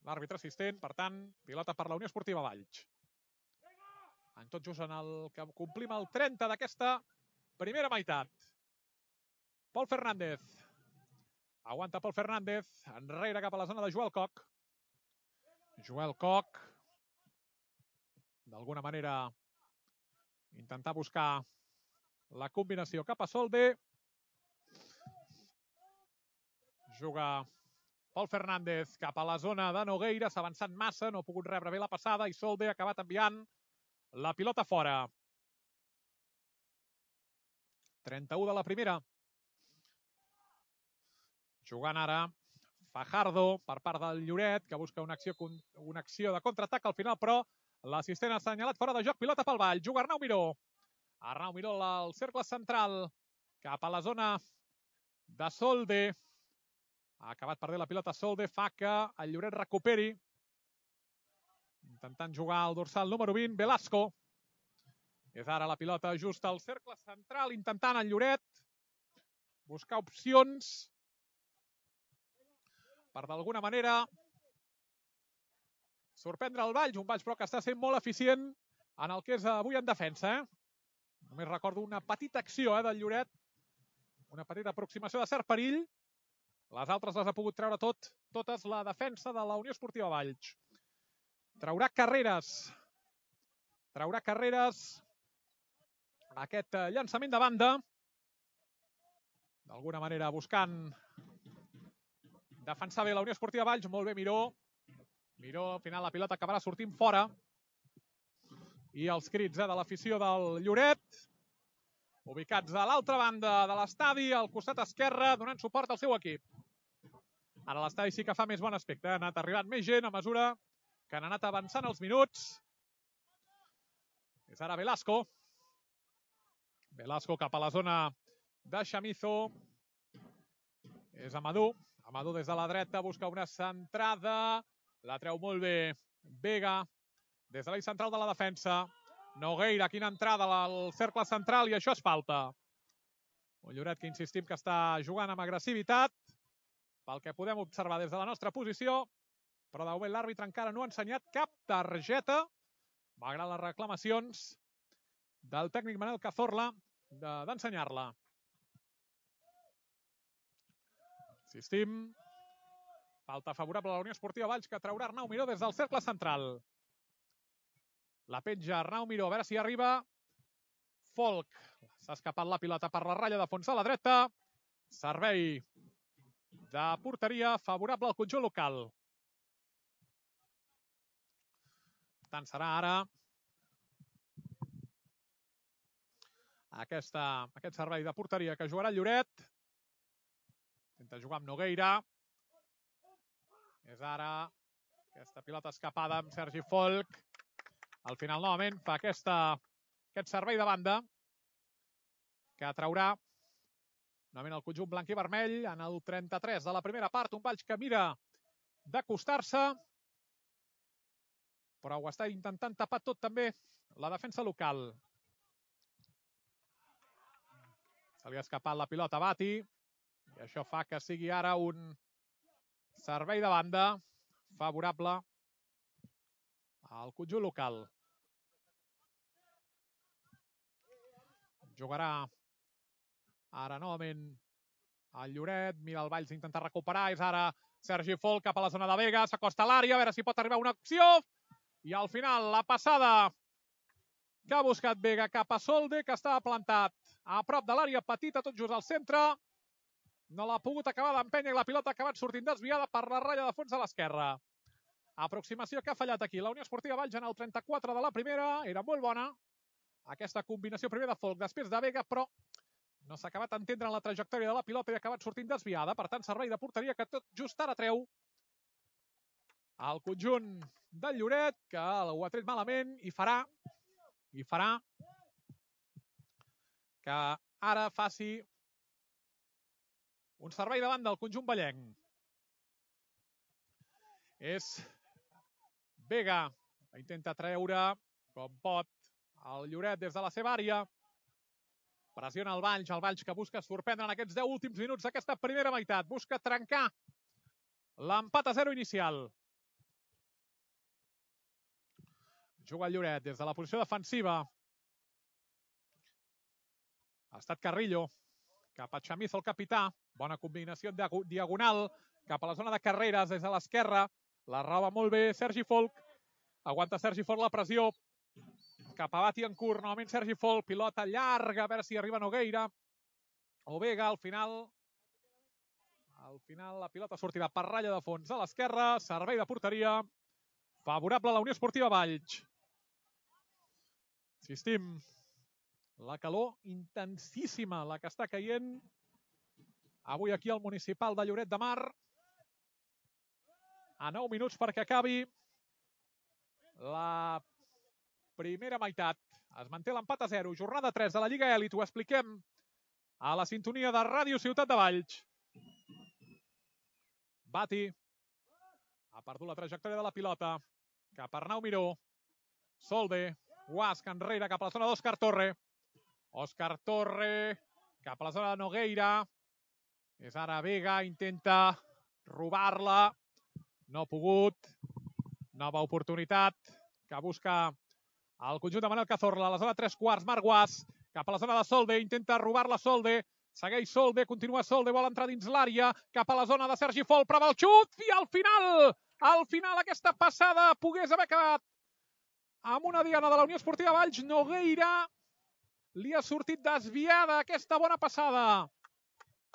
L'àrbitre assistent, per tant, pilota per la Unió Esportiva Valls. En tot just en el que complim el 30 d'aquesta primera meitat. Pol Fernández. Aguanta Pol Fernández, enrere cap a la zona de Joel Koch. Joel Koch, d'alguna manera, intentar buscar la combinació cap a Solde. Juga Pol Fernández cap a la zona de Nogueira, s'ha avançat massa, no ha pogut rebre bé la passada i Solde ha acabat enviant la pilota fora. 31 de la primera. Jugant ara Fajardo per part del Lloret, que busca una acció de contraatac al final, però l'assistent ha assenyalat fora de joc, pilota pel Vall. Juga Arnau Miró. Arnau Miró al cercle central, cap a la zona de Solde. Ha acabat perdent la pilota Solde, fa que el Lloret recuperi. Intentant jugar al dorsal número 20, Velasco. És ara la pilota just al cercle central, intentant el Lloret buscar opcions per d'alguna manera sorprendre el Valls, un Valls però que està sent molt eficient en el que és avui en defensa. Només recordo una petita acció del Lloret, una petita aproximació de cert perill. Les altres les ha pogut treure totes la defensa de la Unió Esportiva Valls. Traurà carreres aquest llançament de banda. d'alguna manera buscant defensar bé la Unió Esportiva Valls. Molt bé Miró. Miró, al final la pilota acabarà sortint fora. I els crits de l'afició del Lloret, ubicats a l'altra banda de l'estadi, al costat esquerre, donant suport al seu equip. Ara l'estadi sí que fa més bon aspecte. Ha anat arribant més gent a mesura que han anat avançant els minuts. És ara Velasco. Velasco cap a la zona de Chamizo. És Amadou. Amadou des de la dreta busca una centrada. La treu molt bé Vega. Des de l'eix central de la defensa. Nogueira, quina entrada al cercle central, i això és falta. Un Lloret que insistim que està jugant amb agressivitat, pel que podem observar des de la nostra posició, però de moment l'àrbitre encara no ha ensenyat cap targeta, malgrat les reclamacions del tècnic Manel Cazorla d'ensenyar-la. Insistim, falta favorable a la Unió Esportiva Valls, que traurà Arnau Miró des del cercle central. La penja Arnau Miró, a veure si arriba. Folk. S'ha escapat la pilota per la ratlla de fons a la dreta. Servei de porteria favorable al conjunt local. Per tant, serà ara aquest servei de porteria que jugarà el Lloret. Intenta jugar amb Nogueira. És ara aquesta pilota escapada amb Sergi Folk. Al final, novament, fa aquest servei de banda que traurà novament el conjunt blanc i vermell en el 33 de la primera part. Un Valls que mira d'acostar-se, però ho està intentant tapar tot també la defensa local. Se li ha escapat la pilota a Bati i això fa que sigui ara un servei de banda favorable al conjunt local. Jugarà ara novament el Lloret, mira el Valls intentar recuperar, és ara Sergi Folk cap a la zona de Vega, s'acosta a l'àrea, a veure si pot arribar una opció, i al final la passada que ha buscat Vega cap a Solde, que estava plantat a prop de l'àrea petita, tot just al centre, no l'ha pogut acabar d'empènyer i la pilota ha acabat sortint desviada per la ratlla de fons a l'esquerra. Aproximació que ha fallat aquí la Unió Esportiva Valls en el 34 de la primera, era molt bona aquesta combinació primer de Folk, després de Vega, però no s'ha acabat d'entendre en la trajectòria de la pilota i ha acabat sortint desviada. Per tant, servei de porteria que tot just ara treu el conjunt del Lloret, que ho ha tret malament i farà que ara faci un servei davant del conjunt vallenc. És Vega, intenta treure com pot el Lloret des de la seva àrea. Pressiona el Valls que busca sorprendre en aquests 10 últims minuts d'aquesta primera meitat. Busca trencar l'empat a 0 inicial. Juga el Lloret des de la posició defensiva. Ha estat Carrillo. Cap a Chamizo, el capità. Bona combinació en diagonal. Cap a la zona de carreres des de l'esquerra. La roba molt bé Sergi Folk. Aguanta Sergi Folk la pressió. Cap a Bati en curt, novament Sergi Folk, pilota llarga, a veure si arriba Nogueira o Vega. Al final la pilota sortirà per ratlla de fons a l'esquerra, servei de porteria favorable a la Unió Esportiva Valls. Insistim, la calor intensíssima, la que està caient avui aquí al municipal de Lloret de Mar. A 9 minuts perquè acabi la primera meitat. Es manté l'empat a 0. Jornada 3 de la Lliga Elit. Ho expliquem a la sintonia de Ràdio Ciutat de Valls. Bati ha perdut la trajectòria de la pilota. Cap a Arnau Miró. Solde. Guasc enrere cap a la zona d'Òscar Torre. Òscar Torre cap a la zona de Nogueira. És ara Vega. Intenta robar-la. No ha pogut. Nova oportunitat que busca el conjunt de Manel Cazorla, a la zona 3/4, Marc Guas, cap a la zona de Solde, intenta robar-la Solde, segueix Solde, continua Solde, vol entrar dins l'àrea, cap a la zona de Sergi Folk, prova el xut, i al final aquesta passada pogués haver acabat amb una diana de la Unió Esportiva Valls. Nogueira li ha sortit desviada aquesta bona passada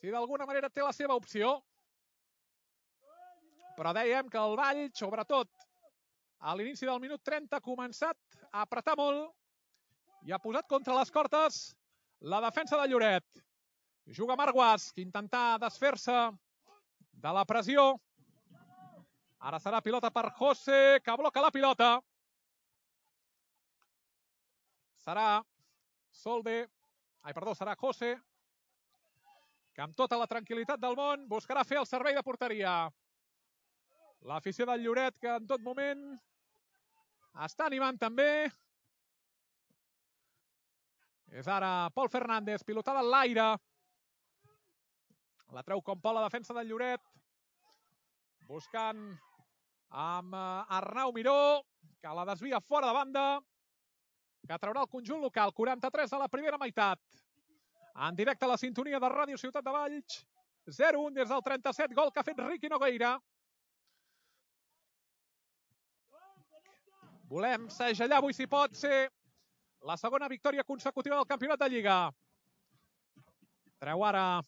si d'alguna manera té la seva opció. Però dèiem que el Valls, sobretot a l'inici del minut 30, ha començat a apretar molt i ha posat contra les cortes la defensa de Lloret. Juga Marc Guasch, que intenta desfer-se de la pressió. Ara serà pilota per José, que bloca la pilota. Serà José, que amb tota la tranquil·litat del món buscarà fer el servei de porteria. L'afició del Lloret, que en tot moment està animant també. És ara Pol Fernández, pilotada en l'aire. La treu com pot la defensa del Lloret. Buscant amb Arnau Miró, que la desvia fora de banda, que traurà el conjunt local. 43 a la primera meitat. En directe a la sintonia de Ràdio Ciutat de Valls. 0-1 des del 37, gol que ha fet Riqui Nogueira. Volem segellar avui, si pot ser, la segona victòria consecutiva del campionat de Lliga. Treu ara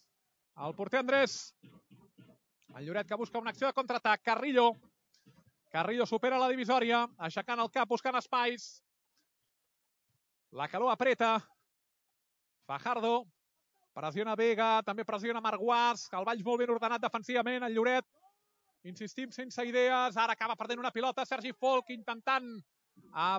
el porter Andrés. El Lloret, que busca una acció de contraatac. Carrillo supera la divisòria, aixecant el cap, buscant espais. La calor apreta. Fajardo pressiona Vega, també pressiona Marc Guasch. El Valls molt ben ordenat defensivament. El Lloret, insistim, sense idees. Ara acaba perdent una pilota. Sergi Folk intentant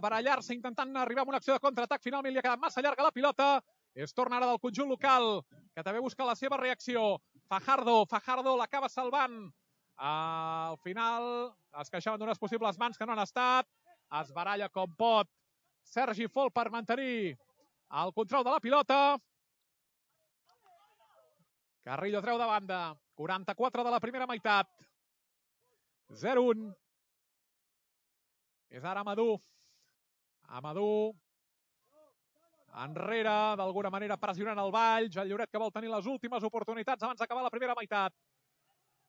barallar-se, intentant arribar a una acció de contraatac. Finalment li ha quedat massa llarga la pilota. Es torna ara del conjunt local, que també busca la seva reacció. Fajardo l'acaba salvant. Al final es queixaven d'unes possibles mans que no han estat. Es baralla com pot Sergi Folk per mantenir el control de la pilota. Carrillo treu de banda. 44 de la primera meitat. 0-1. És ara Amadou. Enrere, d'alguna manera pressionant el Valls. El Lloret, que vol tenir les últimes oportunitats abans d'acabar la primera meitat.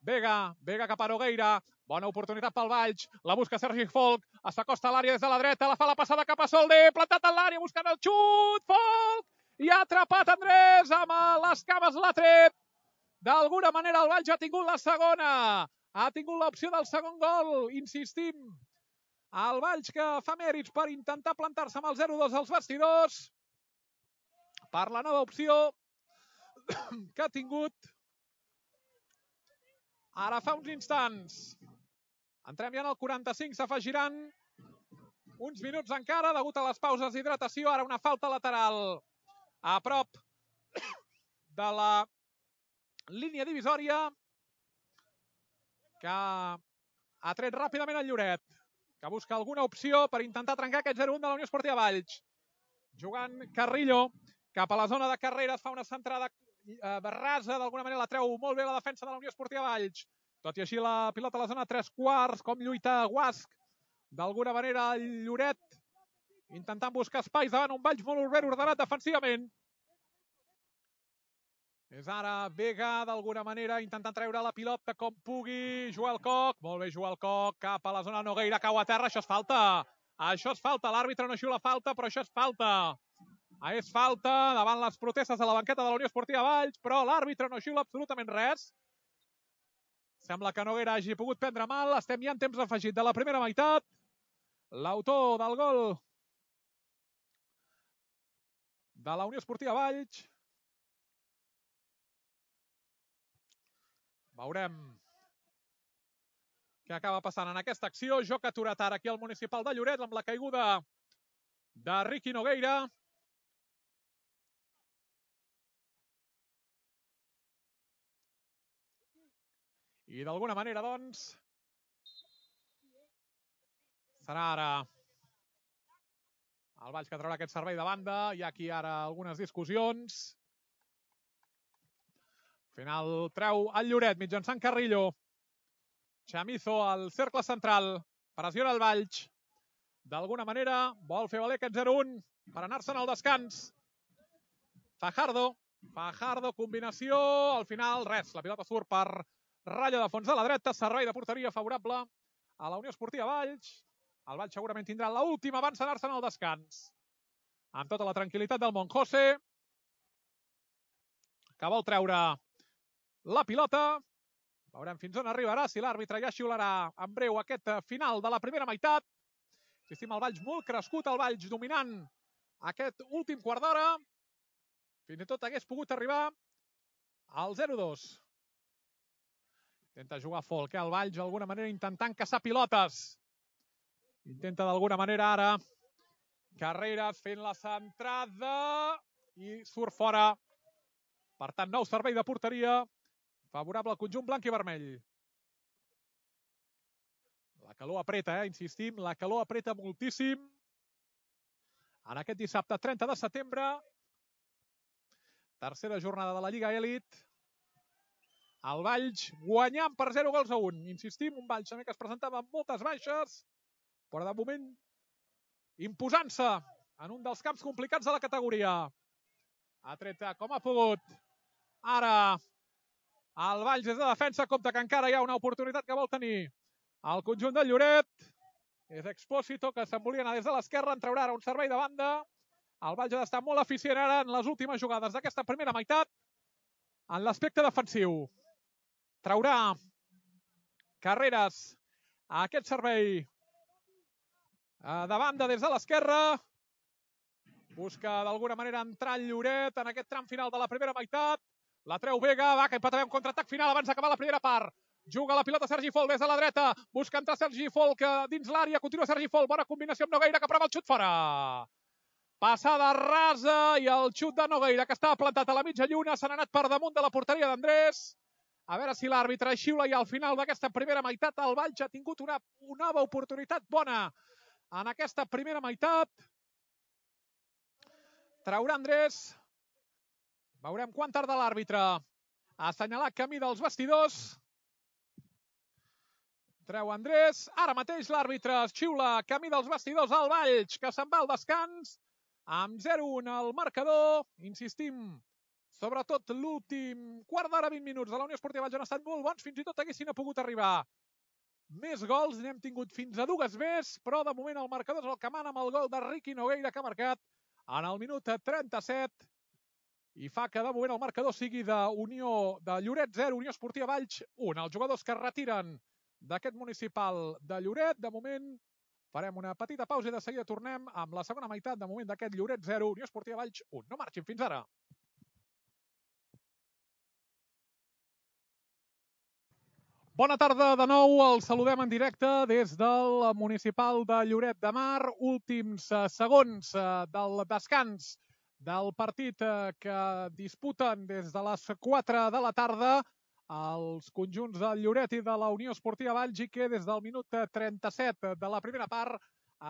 Vega cap a Nogueira. Bona oportunitat pel Valls. La busca Sergi Folk. S'acosta a l'àrea des de la dreta. La fa la passada cap a Solder. Plantat en l'àrea, buscant el xut. Folk! I ha atrapat Andrés amb les cames, l'ha tret. D'alguna manera el Valls ha tingut la segona. Ha tingut l'opció del segon gol. Insistim. El Valls, que fa mèrits per intentar plantar-se amb el 0-2 als vestidors. Per la nova opció que ha tingut ara fa uns instants. Entrem ja en el 45, s'afegiran uns minuts encara degut a les pauses d'hidratació. Ara una falta lateral a prop de la línia divisòria, que ha tret ràpidament el Lloret, que busca alguna opció per intentar trencar aquest 0-1 de la Unió Esportiva Valls. Jugant Carrillo cap a la zona de carreres, fa una centrada rasa, d'alguna manera la treu molt bé la defensa de la Unió Esportiva Valls. Tot i així la pilota a la zona 3/4, com lluita Guasch. D'alguna manera el Lloret intentant buscar espais davant un Valls molt ben ordenat defensivament. És ara Vega, d'alguna manera, intentant treure la pilota com pugui. Joel Koch, molt bé Joel Koch, cap a la zona Nogueira, cau a terra, això és falta. Això és falta, l'àrbitre no xiula falta, però això és falta. És falta davant les protestes de la banqueta de la Unió Esportiva Valls, però l'àrbitre no xiula absolutament res. Sembla que Nogueira hagi pogut prendre mal. Estem ja en temps afegit de la primera meitat. L'autor del gol de la Unió Esportiva Valls. Veurem què acaba passant en aquesta acció. Joc aturat ara aquí al Municipal de Lloret amb la caiguda de Riqui Nogueira. I d'alguna manera, doncs, serà ara el Valls que traurà aquest servei de banda. Hi ha aquí ara algunes discussions. Al final treu el Lloret mitjançant Carrillo. Chamizo al cercle central. Pressiona el Valls. D'alguna manera vol fer valer aquest 0-1 per anar-se'n al descans. Fajardo, combinació. Al final, res. La pilota surt per ratlla de fons de la dreta. Servei de porteria favorable a la Unió Esportiva Valls. El Valls segurament tindrà l'última abans d'anar-se'n al descans. Amb tota la tranquil·litat del món. José, que vol treure la pilota. Veurem fins on arribarà, si l'àrbitre ja xiularà en breu aquest final de la primera meitat. Insistim, el Valls molt crescut, el Valls dominant aquest últim quart d'hora. Fins i tot hagués pogut arribar al 0-2. Intenta jugar Folk, el Valls d'alguna manera intentant caçar pilotes. Intenta d'alguna manera ara Carreras fent la centrada i surt fora. Per tant, nou servei de porteria favorable al conjunt blanc i vermell. La calor apreta, insistim, la calor apreta moltíssim. En aquest dissabte 30 de setembre, tercera jornada de la Lliga Elit, el Valls guanyant per 0-1. Insistim, un Valls també que es presentava amb moltes baixes, però de moment imposant-se en un dels camps complicats de la categoria. Ha tret com ha pogut. Ara el Valls des de defensa, compte que encara hi ha una oportunitat que vol tenir el conjunt del Lloret. És Expósito que se'n volia anar des de l'esquerra, en traurà ara un servei de banda. El Valls ha d'estar molt eficient ara en les últimes jugades d'aquesta primera meitat en l'aspecte defensiu. Traurà Carreras a aquest servei de banda des de l'esquerra. Busca d'alguna manera entrar el Lloret en aquest tram final de la primera meitat. La treu Vega, va, que hi pot haver un contraatac final abans d'acabar la primera part. Juga la pilota Sergi Folk des de la dreta. Busca entrar Sergi Folk dins l'àrea. Continua Sergi Folk. Bona combinació amb Nogueira, que prova el xut fora. Passada rasa i el xut de Nogueira, que estava plantat a la mitja lluna. Se n'ha anat per damunt de la porteria d'Andrés. A veure si l'àrbitre xiula i al final d'aquesta primera meitat el Valls ha tingut una nova oportunitat bona en aquesta primera meitat. Traurà Andrés. Veurem quan tarda l'àrbitre a assenyalar camí dels vestidors. Treu Andrés. Ara mateix l'àrbitre xiula camí dels vestidors al Valls, que se'n va al descans amb 0-1 al marcador. Insistim, sobretot l'últim quart d'hora, 20 minuts de la Unió Esportiva Valls han estat molt bons. Fins i tot haguessin pogut arribar més gols. N'hem tingut fins a 2 més, però de moment el marcador és el que mana amb el gol de Riqui Nogueira, que ha marcat en el minut 37. I fa que de moment el marcador sigui de Lloret 0, Unió Esportiva Valls 1. Els jugadors que es retiren d'aquest municipal de Lloret, de moment farem una petita pausa i de seguida tornem amb la segona meitat, de moment d'aquest Lloret 0, Unió Esportiva Valls 1. No marxin fins ara. Bona tarda de nou, els saludem en directe des del municipal de Lloret de Mar. Últims segons del descans del partit que disputen des de les 4 de la tarda els conjunts del Lloret i de la Unió Esportiva Valls, i que des del minut 37 de la primera part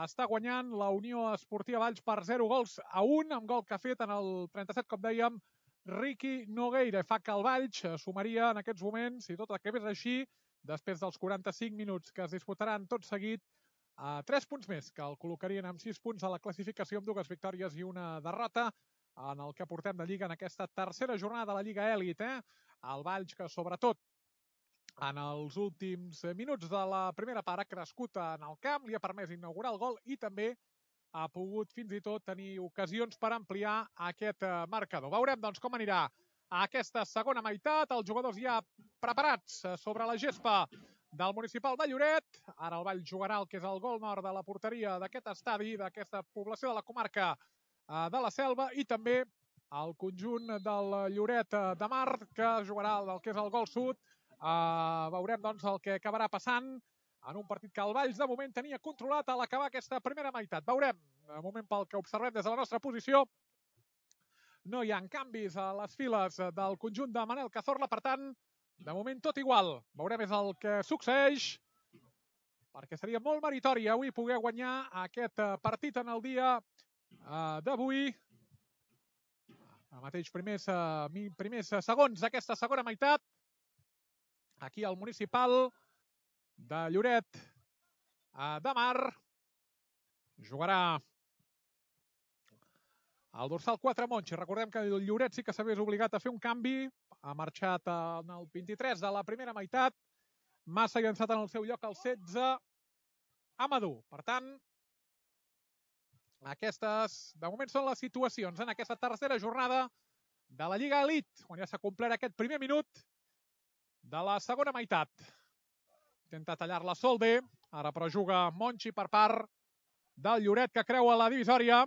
està guanyant la Unió Esportiva Valls per 0-1, amb gol que ha fet en el 37, com dèiem, Riqui Nogueira. Fa que el Valls sumaria en aquests moments, si tot acabés així, després dels 45 minuts que es disputaran tot seguit, 3 punts més, que el col·locarien amb 6 punts a la classificació, amb 2 victòries i una derrota en el que portem de Lliga en aquesta tercera jornada de la Lliga Elit. El Valls, que sobretot en els últims minuts de la primera part ha crescut en el camp, li ha permès inaugurar el gol i també ha pogut fins i tot tenir ocasions per ampliar aquest marcador. Veurem doncs com anirà aquesta segona meitat. Els jugadors ja preparats sobre la gespa del municipal de Lloret. Ara el Valls jugarà el que és el gol nord de la porteria d'aquest estadi, d'aquesta població de la comarca de la Selva, i també el conjunt del Lloret de Mar, que jugarà el que és el gol sud. Veurem doncs el que acabarà passant en un partit que el Valls de moment tenia controlat a l'acabar aquesta primera meitat. Veurem, de moment pel que observem des de la nostra posició, no hi ha canvis a les files del conjunt de Manel Cazorla, per tant, de moment tot igual. Veurem és el que succeeix, perquè seria molt meritori avui poder guanyar aquest partit en el dia d'avui. Ara mateix primers segons d'aquesta segona meitat, aquí al municipal de Lloret de Mar. Jugarà el dorsal 4 Monchi. Recordem que el Lloret sí que s'hagués obligat a fer un canvi. Ha marxat en el 23 de la primera meitat. Massa ha llançat en el seu lloc el 16 Amadou. Per tant, aquestes de moment són les situacions en aquesta tercera jornada de la Lliga Elit, on ja s'ha complert aquest primer minut de la segona meitat. Intenta tallar-la Solde, ara però juga Monchi per part del Lloret, que creua la divisòria.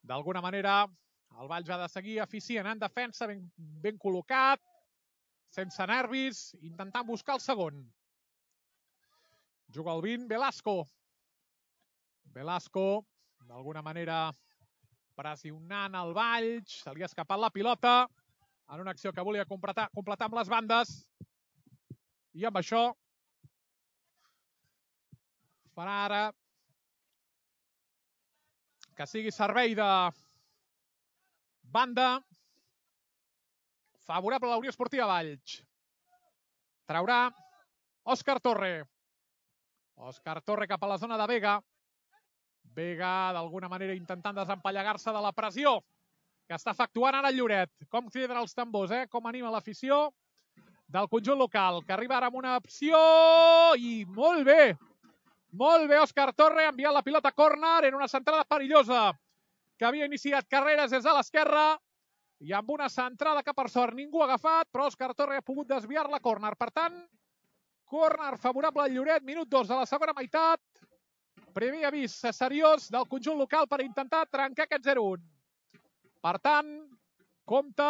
D'alguna manera, el Valls ha de seguir eficient en defensa, ben col·locat, sense nervis, intentant buscar el segon. Juga el 20, Velasco. Velasco, d'alguna manera, pressionant el Valls. Se li ha escapat la pilota en una acció que volia completar amb les bandes. I amb això farà ara que sigui servei de banda favorable a la Unió Esportiva Valls. Traurà Òscar Torre. Òscar Torre cap a la zona de Vega. Vega, d'alguna manera, intentant desempallegar-se de la pressió que està efectuant ara el Lloret. Com criden els tambors, com anima l'afició del conjunt local, que arriba ara amb una opció i molt bé. Molt bé, Òscar Torre, enviant la pilota a córner. Era una centrada perillosa que havia iniciat Carreras des de l'esquerra i amb una centrada que per sort ningú ha agafat, però Òscar Torre ha pogut desviar-la a córner. Per tant, córner favorable al Lloret, minut 2 de la segona meitat. Primer avís seriós del conjunt local per intentar trencar aquest 0-1. Per tant, compte,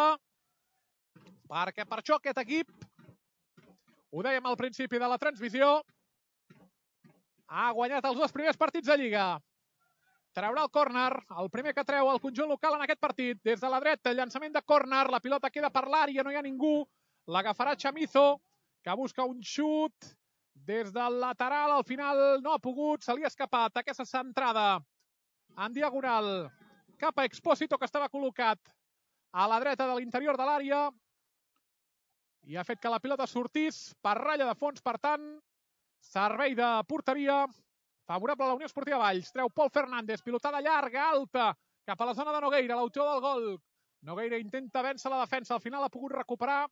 perquè per això aquest equip, ho dèiem al principi de la transmissió, ha guanyat els 2 primers partits de Lliga. Traurà el córner, el primer que treu el conjunt local en aquest partit. Des de la dreta, llançament de córner, la pilota queda per l'àrea, no hi ha ningú. L'agafarà Chamizo, que busca un xut des del lateral. Al final no ha pogut, se li ha escapat aquesta centrada en diagonal cap a Expósito, que estava col·locat a la dreta de l'interior de l'àrea i ha fet que la pilota sortís per ratlla de fons. Per tant, servei de porteria favorable a la Unió Esportiva Valls. Treu Pol Fernández, pilotada llarga, alta, cap a la zona de Nogueira, l'autor del gol. Nogueira intenta vèncer la defensa, al final ha pogut recuperar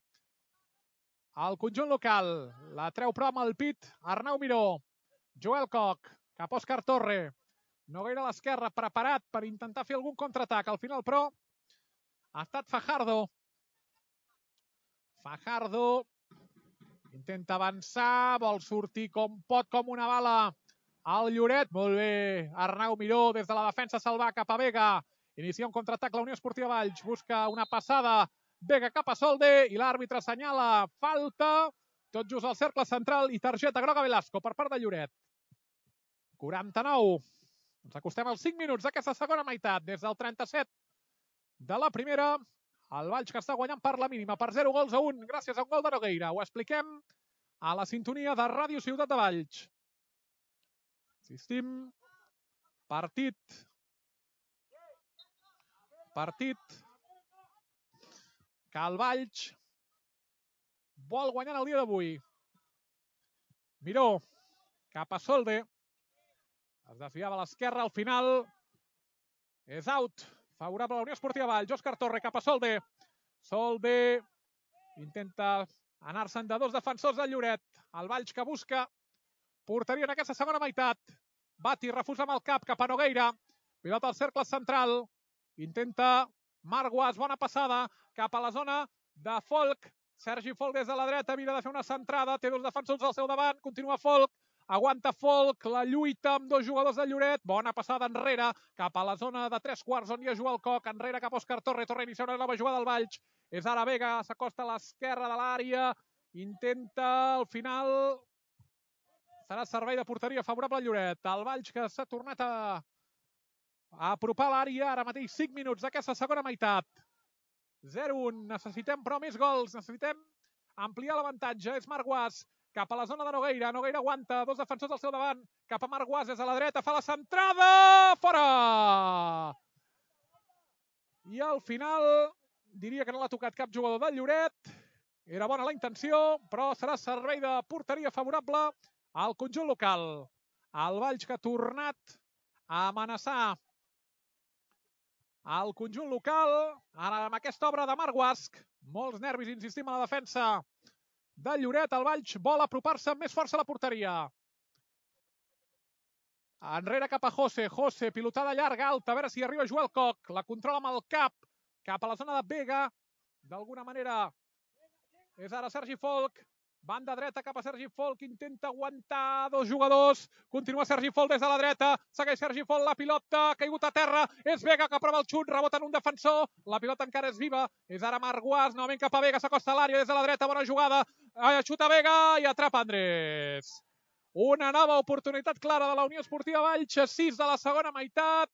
el conjunt local. La treu però amb el pit Arnau Miró. Joel Coc, cap a Òscar Torre. Nogueira a l'esquerra, preparat per intentar fer algun contraatac. Al final però ha estat Fajardo. Fajardo intenta avançar, vol sortir com pot, com una bala al Lloret. Molt bé, Arnau Miró des de la defensa se'l va cap a Vega. Inicia un contraatac la Unió Esportiva Valls. Busca una passada Vega cap a Solde i l'àrbitre assenyala falta. Tot just al cercle central i targeta groga Velasco per part de Lloret. 49. Ens acostem als 5 minuts d'aquesta segona meitat. Des del 37 de la primera, el Valls que està guanyant per la mínima, per 0-1 gràcies a un gol de Nogueira. Ho expliquem a la sintonia de Ràdio Ciutat de Valls. Insistim, partit que el Valls vol guanyar el dia d'avui. Miró, cap a Solde. Es desviava a l'esquerra, al final és out, favorable a la Unió Esportiva Valls. Òscar Torre cap a Solde. Solde intenta anar-se'n de 2 defensors del Lloret. El Valls que busca porteria en aquesta segona meitat. Bati refusa amb el cap cap a Nogueira. Pilota al cercle central. Intenta Marguas, bona passada cap a la zona de Folk. Sergi Folk des de la dreta, mira de fer una centrada. Té 2 defensors al seu davant. Continua Folk. Aguanta Folk, la lluita amb 2 jugadors del Lloret. Bona passada enrere, cap a la zona de 3/4, on hi ha Joel Coc. Enrere cap a Òscar Torre. Torre inicia una nova jugada del Valls. És ara Vega, s'acosta a l'esquerra de l'àrea. Intenta, al final, serà servei de porteria favorable al Lloret. El Valls que s'ha tornat a apropar l'àrea. Ara mateix 5 minuts d'aquesta segona meitat. 0-1. Necessitem però més gols. Necessitem ampliar l'avantatge. És Marguas cap a la zona de Nogueira. Nogueira aguanta, 2 defensors al seu davant. Cap a Marguas des de la dreta. Fa la centrada! Fora! I al final, diria que no l'ha tocat cap jugador del Lloret. Era bona la intenció, però serà servei de porteria favorable al conjunt local. El Valls que ha tornat a amenaçar el conjunt local. Ara amb aquesta obra de Marguas. Molts nervis, insistim, a la defensa del Lloret. El Valls vol apropar-se amb més força a la porteria. Enrere cap a José. José, pilotada llarga, alta. A veure si arriba Joel Coc. La controla amb el cap. Cap a la zona de Vega. D'alguna manera És ara Sergi Folch. Banda dreta cap a Sergi Folch, intenta aguantar dos jugadors, continua Sergi Folch des de la dreta, segueix Sergi Folch, la pilota, ha caigut a terra, és Vega que prova el xut, rebota en un defensor, la pilota encara és viva, és ara Marc Guas, novament cap a Vega, s'acosta a l'àrea des de la dreta, bona jugada, xuta Vega i atrapa Andrés. Una nova oportunitat clara de la Unió Esportiva Valls, 6 de la segona meitat,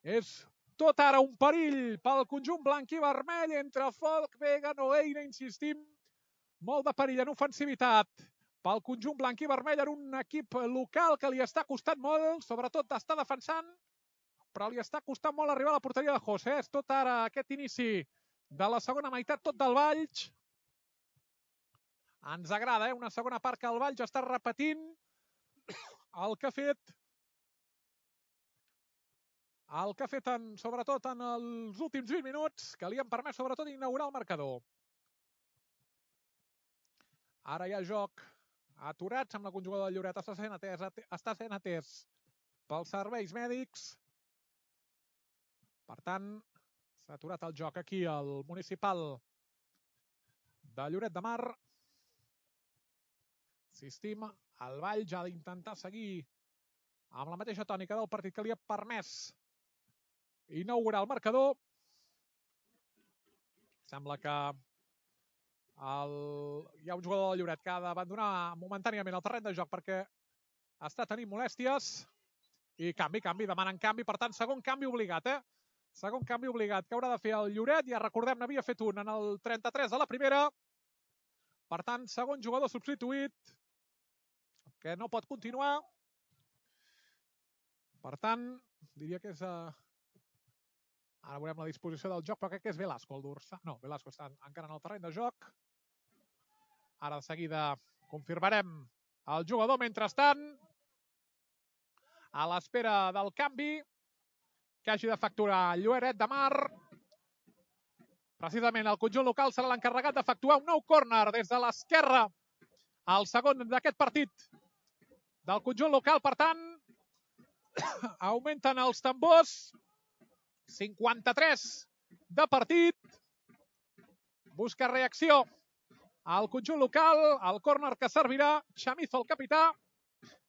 és tot ara un perill pel conjunt blanc i vermell entre Folch, Vega, Nogueira, insistim, molt de perill en ofensivitat pel conjunt blanc i vermell en un equip local que li està costant molt, sobretot està defensant, però li està costant molt arribar a la porteria de José. És tot ara aquest inici de la segona meitat, tot del Valls. Ens agrada, una segona part que el Valls està repetint el que ha fet sobretot en els últims 20 minuts, que li han permès sobretot inaugurar el marcador. Ara hi ha joc aturat, sembla que un jugador del Lloret està sent atès pels serveis mèdics. Per tant, s'ha aturat el joc aquí al municipal de Lloret de Mar. Insistim, el Valls ha d'intentar seguir amb la mateixa tònica del partit que li ha permès inaugurar el marcador. Sembla que hi ha un jugador del Lloret que ha d'abandonar momentàniament el terreny de joc perquè està tenint molèsties. I canvi, demanen canvi, per tant, segon canvi obligat, Segon canvi obligat que haurà de fer el Lloret, ja recordem, n'havia fet un en el 33 de la primera. Per tant, segon jugador substituït, que no pot continuar. Per tant, diria que és... Ara veurem la disposició del joc, però crec que és Velasco el dorsal. No, Velasco està encara en el terreny de joc. Ara de seguida confirmarem el jugador. Mentrestant, a l'espera del canvi que hagi de facturar Lloret de Mar. Precisament el conjunt local serà l'encarregat de facturar un nou córner des de l'esquerra. El segon d'aquest partit del conjunt local, per tant, augmenten els tambors. 53 de partit. Busca reacció al conjunt local. El córner que servirà Chamizo, el capità.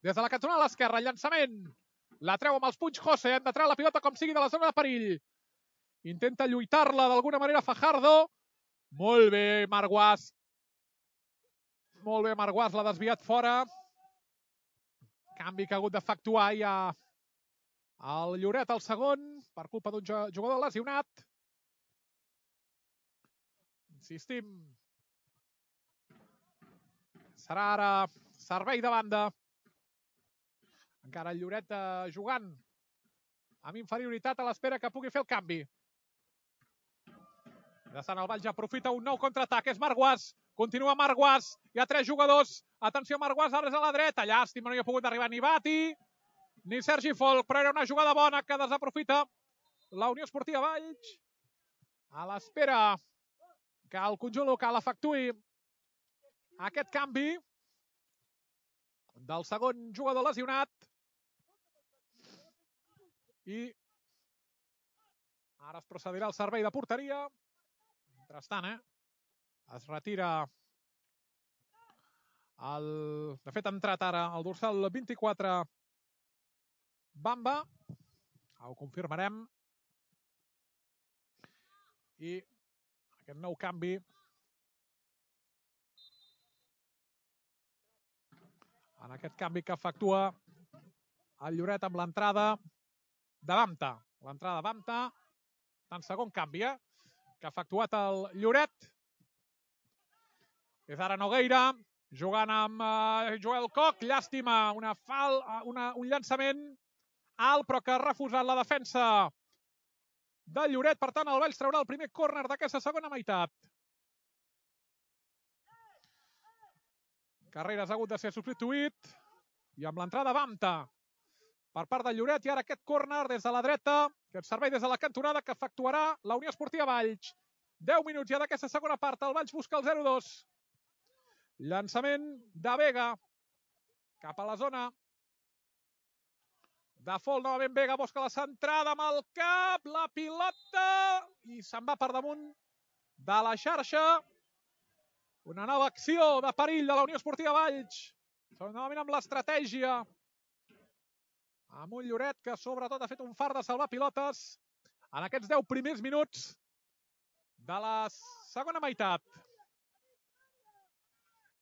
Des de la cantonada a l'esquerra, llançament. La treu amb els punys José. Han de treure la pilota com sigui de la zona de perill. Intenta lluitar-la d'alguna manera Fajardo. Molt bé, Marc Guas. Molt bé, Marc Guas l'ha desviat fora. Canvi que ha hagut d'efectuar ja el Lloret al segon, per culpa d'un jugador lesionat. Insistim. Serà ara servei de banda. Encara el Lloret jugant amb inferioritat a l'espera que pugui fer el canvi. De Sant Valls ja aprofita un nou contraatac. És Marc Guas. Continua Marc Guas. Hi ha 3 jugadors. Atenció, Marc Guas, ara és a la dreta. Llàstima, no hi ha pogut arribar ni Bati ni Sergi Folch, però era una jugada bona que desaprofita la Unió Esportiva Valls. A l'espera que el conjunt local efectuï aquest canvi del segon jugador lesionat. I ara es procedirà al servei de porteria. Mentrestant, es retira de fet ha entrat ara el dorsal 24 Bamba. Ho confirmarem. I aquest nou canvi en aquest canvi que efectua el Lloret amb l'entrada de Bamta. L'entrada de Bamta, en segon canvi, que ha efectuat el Lloret. És ara Nogueira, jugant amb Joel Koch. Llàstima, un llançament alt, però que ha refusat la defensa del Lloret. Per tant, el Valls traurà el primer córner d'aquesta segona meitat. Carreras ha hagut de ser substituït. I amb l'entrada Bamta per part del Lloret. I ara aquest córner des de la dreta, aquest servei des de la cantonada que efectuarà la Unió Esportiva Valls. 10 minuts ja d'aquesta segona part. El Valls busca el 0-2. Llançament de Vega cap a la zona de Folch. Novament Vega busca la centrada amb el cap, la pilota, i se'n va per damunt de la xarxa. Una nova acció de perill de la Unió Esportiva Valls. Novament amb l'estratègia. Amb un Lloret que sobretot ha fet un fart de salvar pilotes en aquests 10 primers minuts de la segona meitat.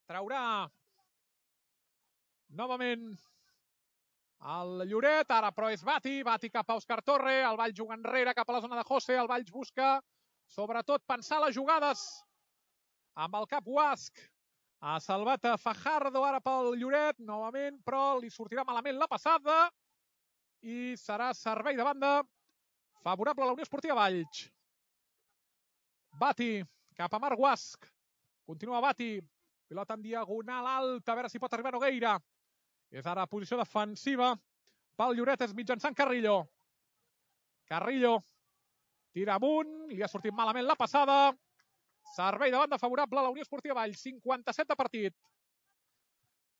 Traurà novament el Lloret, ara però és Bati cap a Òscar Torre, el Valls juga enrere cap a la zona de José, el Valls busca sobretot pensar les jugades amb el cap Guasc. Ha salvat a Fajardo ara pel Lloret, novament, però li sortirà malament la passada i serà servei de banda favorable a la Unió Esportiva Valls. Bati cap a Marc Guasc. Continua Bati. Pilota en diagonal alta, a veure si pot arribar Nogueira. És ara posició defensiva pel Lloret, és mitjançant Carrillo. Carrillo tira amunt, li ha sortit malament la passada. Servei de banda favorable a la Unió Esportiva Valls, 57 de partit.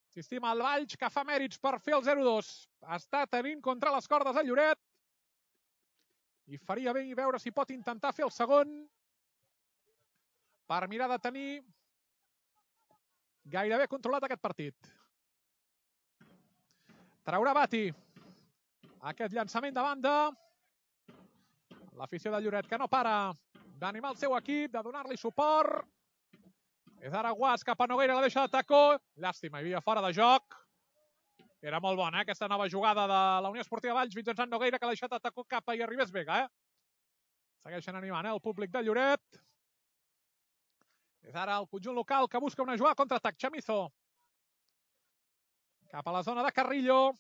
Insistim, el Valls que fa mèrits per fer el 0-2. Està tenint contra les cordes el Lloret i faria bé veure si pot intentar fer el segon per mirar de tenir gairebé controlat aquest partit. Traurà Bati aquest llançament de banda. L'afició del Lloret que no para d'animar el seu equip, de donar-li suport. És ara Guas cap a Nogueira, la deixa de tacó. Llàstima, hi havia fora de joc. Era molt bona, aquesta nova jugada de la Unió Esportiva Valls mitjançant Nogueira, que l'ha deixat de tacó cap a hi arribés Vega. Segueixen animant el públic del Lloret. És ara el conjunt local que busca una jugada contra-atac. Chamizo cap a la zona de Carrillo.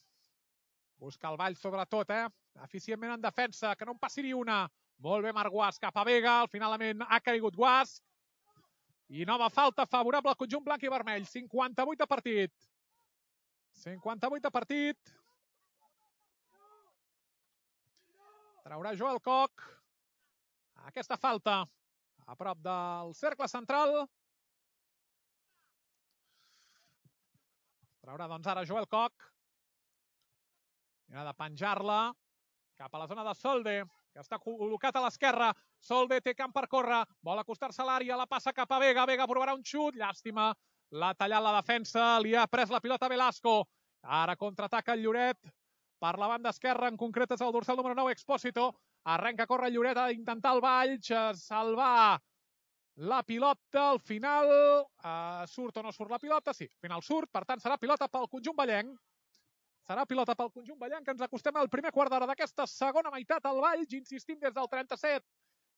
Busca el Valls sobretot, eficientment en defensa, que no en passi ni una. Molt bé Marc Guas cap a Vega, finalment ha caigut Guas. I nova falta favorable al conjunt blanc i vermell. 58 de partit. 58 de partit. Traurà Joel Koch aquesta falta a prop del cercle central. Traurà doncs ara Joel Koch. Mira de penjar-la cap a la zona de Solde, que està col·locat a l'esquerra. Solde té camp per córrer, vol acostar-se a l'àrea, la passa cap a Vega. Vega provarà un xut, llàstima. L'ha tallat la defensa, li ha pres la pilota Velasco. Ara contraataca el Lloret per la banda esquerra, en concret és el dorsal número 9, Expósito. Arrenca a córrer el Lloret, a intentar el Valls salvar la pilota. Al final surt o no surt la pilota? Sí, al final surt, per tant serà pilota pel conjunt vallenc. Serà pilota pel conjunt vallenc, que ens acostem al primer quart d'hora d'aquesta segona meitat. El Valls, insistim, des del 37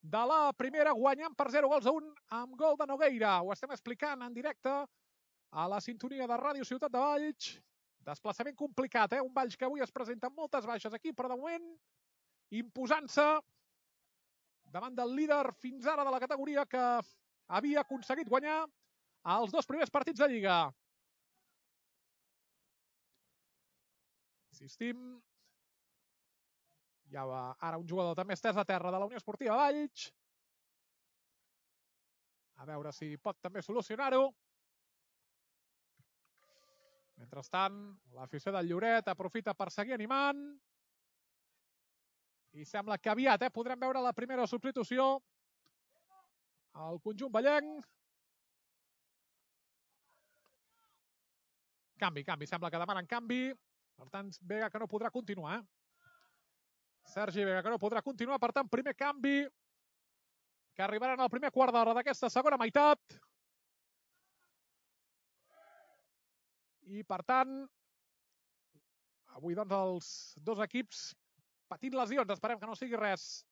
de la primera, guanyant per 0-1 amb gol de Nogueira. Ho estem explicant en directe a la sintonia de Ràdio Ciutat de Valls. Desplaçament complicat, un Valls que avui es presenta amb moltes baixes aquí, però de moment imposant-se davant del líder fins ara de la categoria, que havia aconseguit guanyar els 2 primers partits de Lliga. Insistim, hi ha ara un jugador també estès a terra de la Unió Esportiva Valls. A veure si pot també solucionar-ho. Mentrestant, l'afició del Lloret aprofita per seguir animant. I sembla que aviat podrem veure la primera substitució al conjunt vallenc. Canvi, sembla que demanen canvi. Per tant, Vega que no podrà continuar. Sergi Vega que no podrà continuar. Per tant, primer canvi que arribarà en el primer quart d'hora d'aquesta segona meitat. I, per tant, avui doncs els dos equips patint lesions. Esperem que no sigui res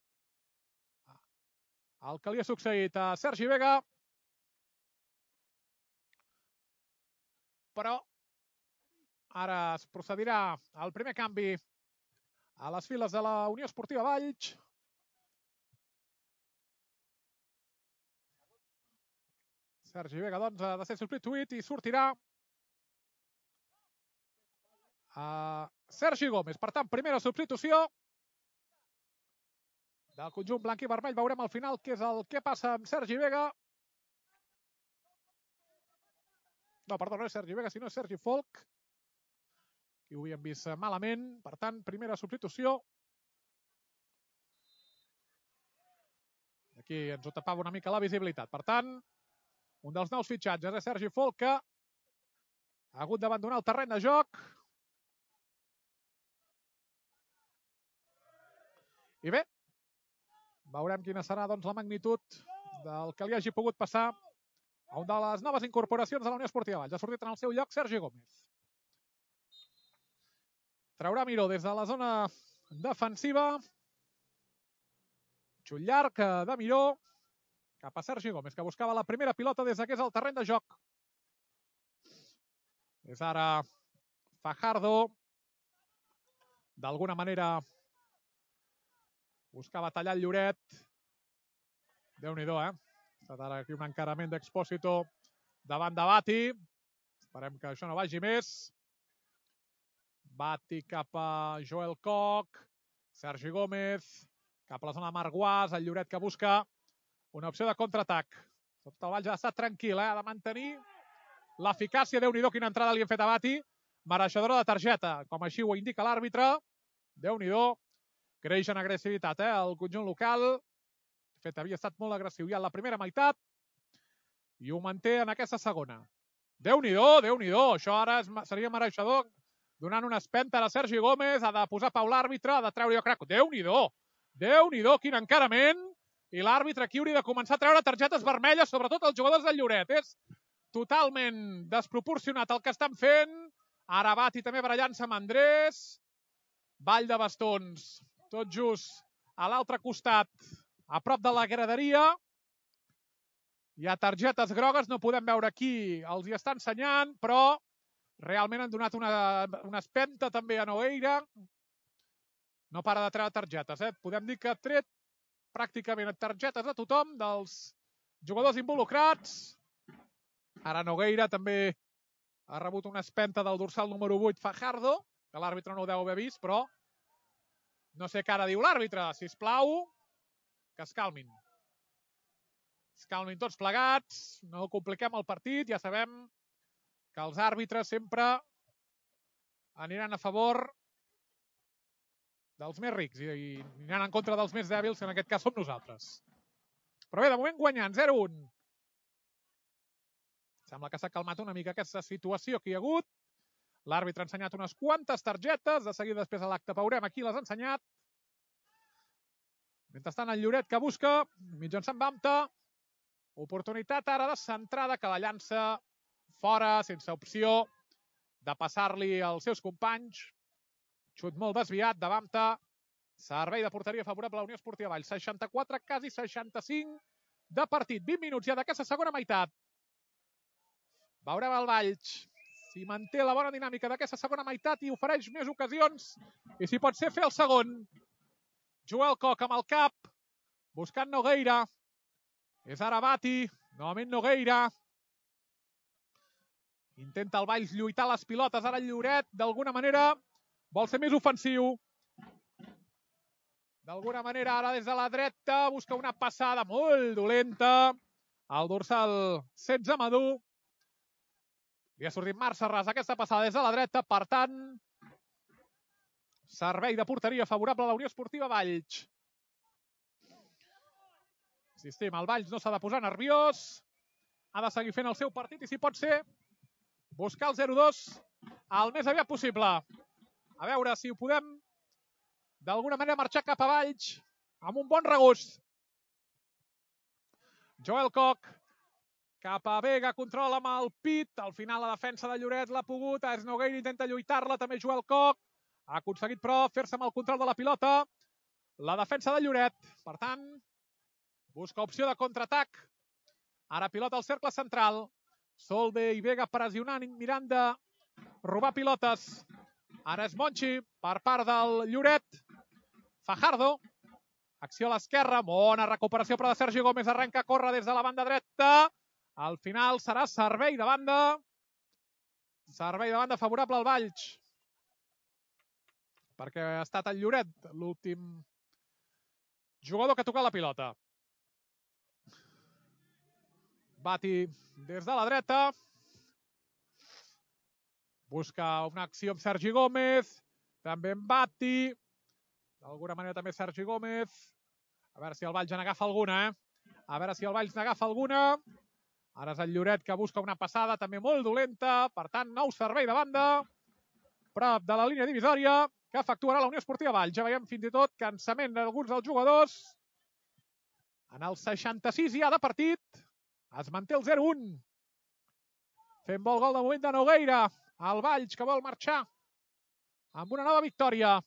el que li ha succeït a Sergi Vega. Però ara es procedirà al primer canvi a les files de la Unió Esportiva Valls. Sergi Vega, doncs, ha de ser substituït i sortirà Sergi Gómez. Per tant, primera substitució del conjunt blanc i vermell. Veurem al final què és el que passa amb Sergi Vega. No, perdó, no és Sergi Vega, sinó és Sergi Folk. I ho havíem vist malament. Per tant, primera substitució. Aquí ens ho tapava una mica la visibilitat. Per tant, un dels nous fitxatges, Sergi Folca. Ha hagut d'abandonar el terreny de joc. I bé, veurem quina serà la magnitud del que li hagi pogut passar a una de les noves incorporacions de la Unió Esportiva Valls. Ha sortit en el seu lloc Sergi Gómez. Traurà Miró des de la zona defensiva. Xut llarg de Miró cap a Sergi Gómez, que buscava la primera pilota des que és el terreny de joc. És ara Fajardo. D'alguna manera buscava tallar el Lloret. Déu-n'hi-do, eh? Ha estat ara aquí un encarament d'Expósito davant de Bati. Esperem que això no vagi més. Bati cap a Joel Koch. Sergi Gómez cap a la zona de Marguàs. El Lloret que busca una opció de contraatac. Tot el Valls ha estat tranquil, ha de mantenir l'eficàcia. Déu-n'hi-do, quina entrada li hem fet a Bati. Mereixedora de targeta, com així ho indica l'àrbitre. Déu-n'hi-do. Creix en agressivitat, el conjunt local. De fet, havia estat molt agressiu ja en la primera meitat i ho manté en aquesta segona. Déu-n'hi-do, Déu-n'hi-do. Això ara seria mereixedor, donant una espenta a Sergi Gómez. Ha de posar pau l'àrbitre, ha de treure jo crec. Déu-n'hi-do, Déu-n'hi-do, quin encarament. I l'àrbitre aquí hauria de començar a treure targetes vermelles, sobretot els jugadors del Lloret. És totalment desproporcionat el que estan fent. Ara Bati també barallant-se amb Andrés. Ball de bastons, tot just a l'altre costat, a prop de la graderia. Hi ha targetes grogues, no podem veure qui els hi està ensenyant, però realment han donat una espenta també a Nogueira. No para de treure targetes, Podem dir que ha tret pràcticament targetes a tothom dels jugadors involucrats. Ara Nogueira també ha rebut una espenta del dorsal número 8, Fajardo, que l'àrbitre no ho deu haver vist, però no sé què ara diu l'àrbitre. Sisplau, que es calmin. Es calmin tots plegats, no compliquem el partit. Ja sabem que els àrbitres sempre aniran a favor dels més rics i aniran en contra dels més dèbils, que en aquest cas som nosaltres. Però bé, de moment guanyant, 0-1. Sembla que s'ha calmat una mica aquesta situació que hi ha hagut. L'àrbitre ha ensenyat unes quantes targetes. De seguida després a l'acte veurem a qui les ha ensenyat. Mentrestant el Lloret que busca, mitjançant Bamta. Oportunitat ara de centrada que la llança fora, sense opció de passar-li als seus companys. Xut molt desviat de Bamta. Servei de porteria favorable a la Unió Esportiva Valls. 64, quasi 65 de partit. 20 minuts ja d'aquesta segona meitat. Veurem el Valls si manté la bona dinàmica d'aquesta segona meitat i ofereix més ocasions. I si pot ser fer el segon. Joel Koch amb el cap, buscant Nogueira. És ara Bati, novament Nogueira. Intenta el Valls lluitar les pilotes, ara el Lloret, d'alguna manera, vol ser més ofensiu. D'alguna manera, ara des de la dreta, busca una passada molt dolenta. El dorsal 16 Madú. Li ha sortit Marc Serràs aquesta passada des de la dreta, per tant, servei de porteria favorable a la Unió Esportiva Valls. Insistim, el Valls no s'ha de posar nerviós, ha de seguir fent el seu partit i, si pot ser, buscar el 0-2 el més aviat possible. A veure si ho podem, d'alguna manera, marxar cap a Valls amb un bon regust. Joel Koch cap a Vega, controla amb el pit. Al final la defensa de Lloret l'ha pogut. És Nogueira, intenta lluitar-la, també Joel Koch. Ha aconseguit, però, fer-se amb el control de la pilota. La defensa de Lloret. Per tant, busca opció de contraatac. Ara pilota al cercle central. Solde i Vega pressionant, mirant de robar pilotes. Ara és Monchi per part del Lloret. Fajardo. Acció a l'esquerra. Bona recuperació, però de Sergi Gómez. Arrenca a córrer des de la banda dreta. Al final serà servei de banda. Servei de banda favorable al Valls. Perquè ha estat el Lloret l'últim jugador que ha tocat la pilota. Bati des de la dreta. Busca una acció amb Sergi Gómez. També en Bati. D'alguna manera també Sergi Gómez. A veure si el Valls n'agafa alguna, A veure si el Valls n'agafa alguna. Ara és el Lloret que busca una passada també molt dolenta. Per tant, nou servei de banda. Prop de la línia divisòria que efectuarà la Unió Esportiva Valls. Ja veiem fins i tot cansament d'alguns dels jugadors. En el 66 ja de partit. Es manté el 0-1. Fent bon gol de moment de Nogueira. El Valls que vol marxar amb una nova victòria.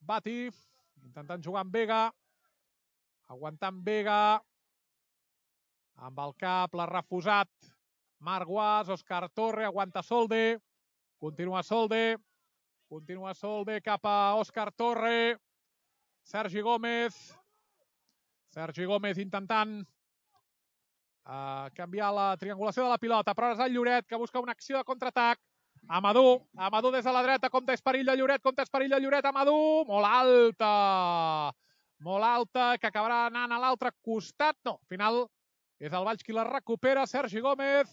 Bati intentant jugar amb Vega. Aguantant Vega. Amb el cap l'ha refusat Marc Guas. Òscar Torre aguanta Solde. Continua Solde. Continua Solde cap a Òscar Torre. Sergi Gómez. Sergi Gómez intentant canviar la triangulació de la pilota, però és el Lloret que busca una acció de contraatac. Amadou. Amadou des de la dreta. Compte és perill de Lloret. Compte és perill de Lloret. Amadou. Molt alta. Molt alta, que acabarà anant a l'altre costat. No, al final és el Valls qui la recupera. Sergi Gómez.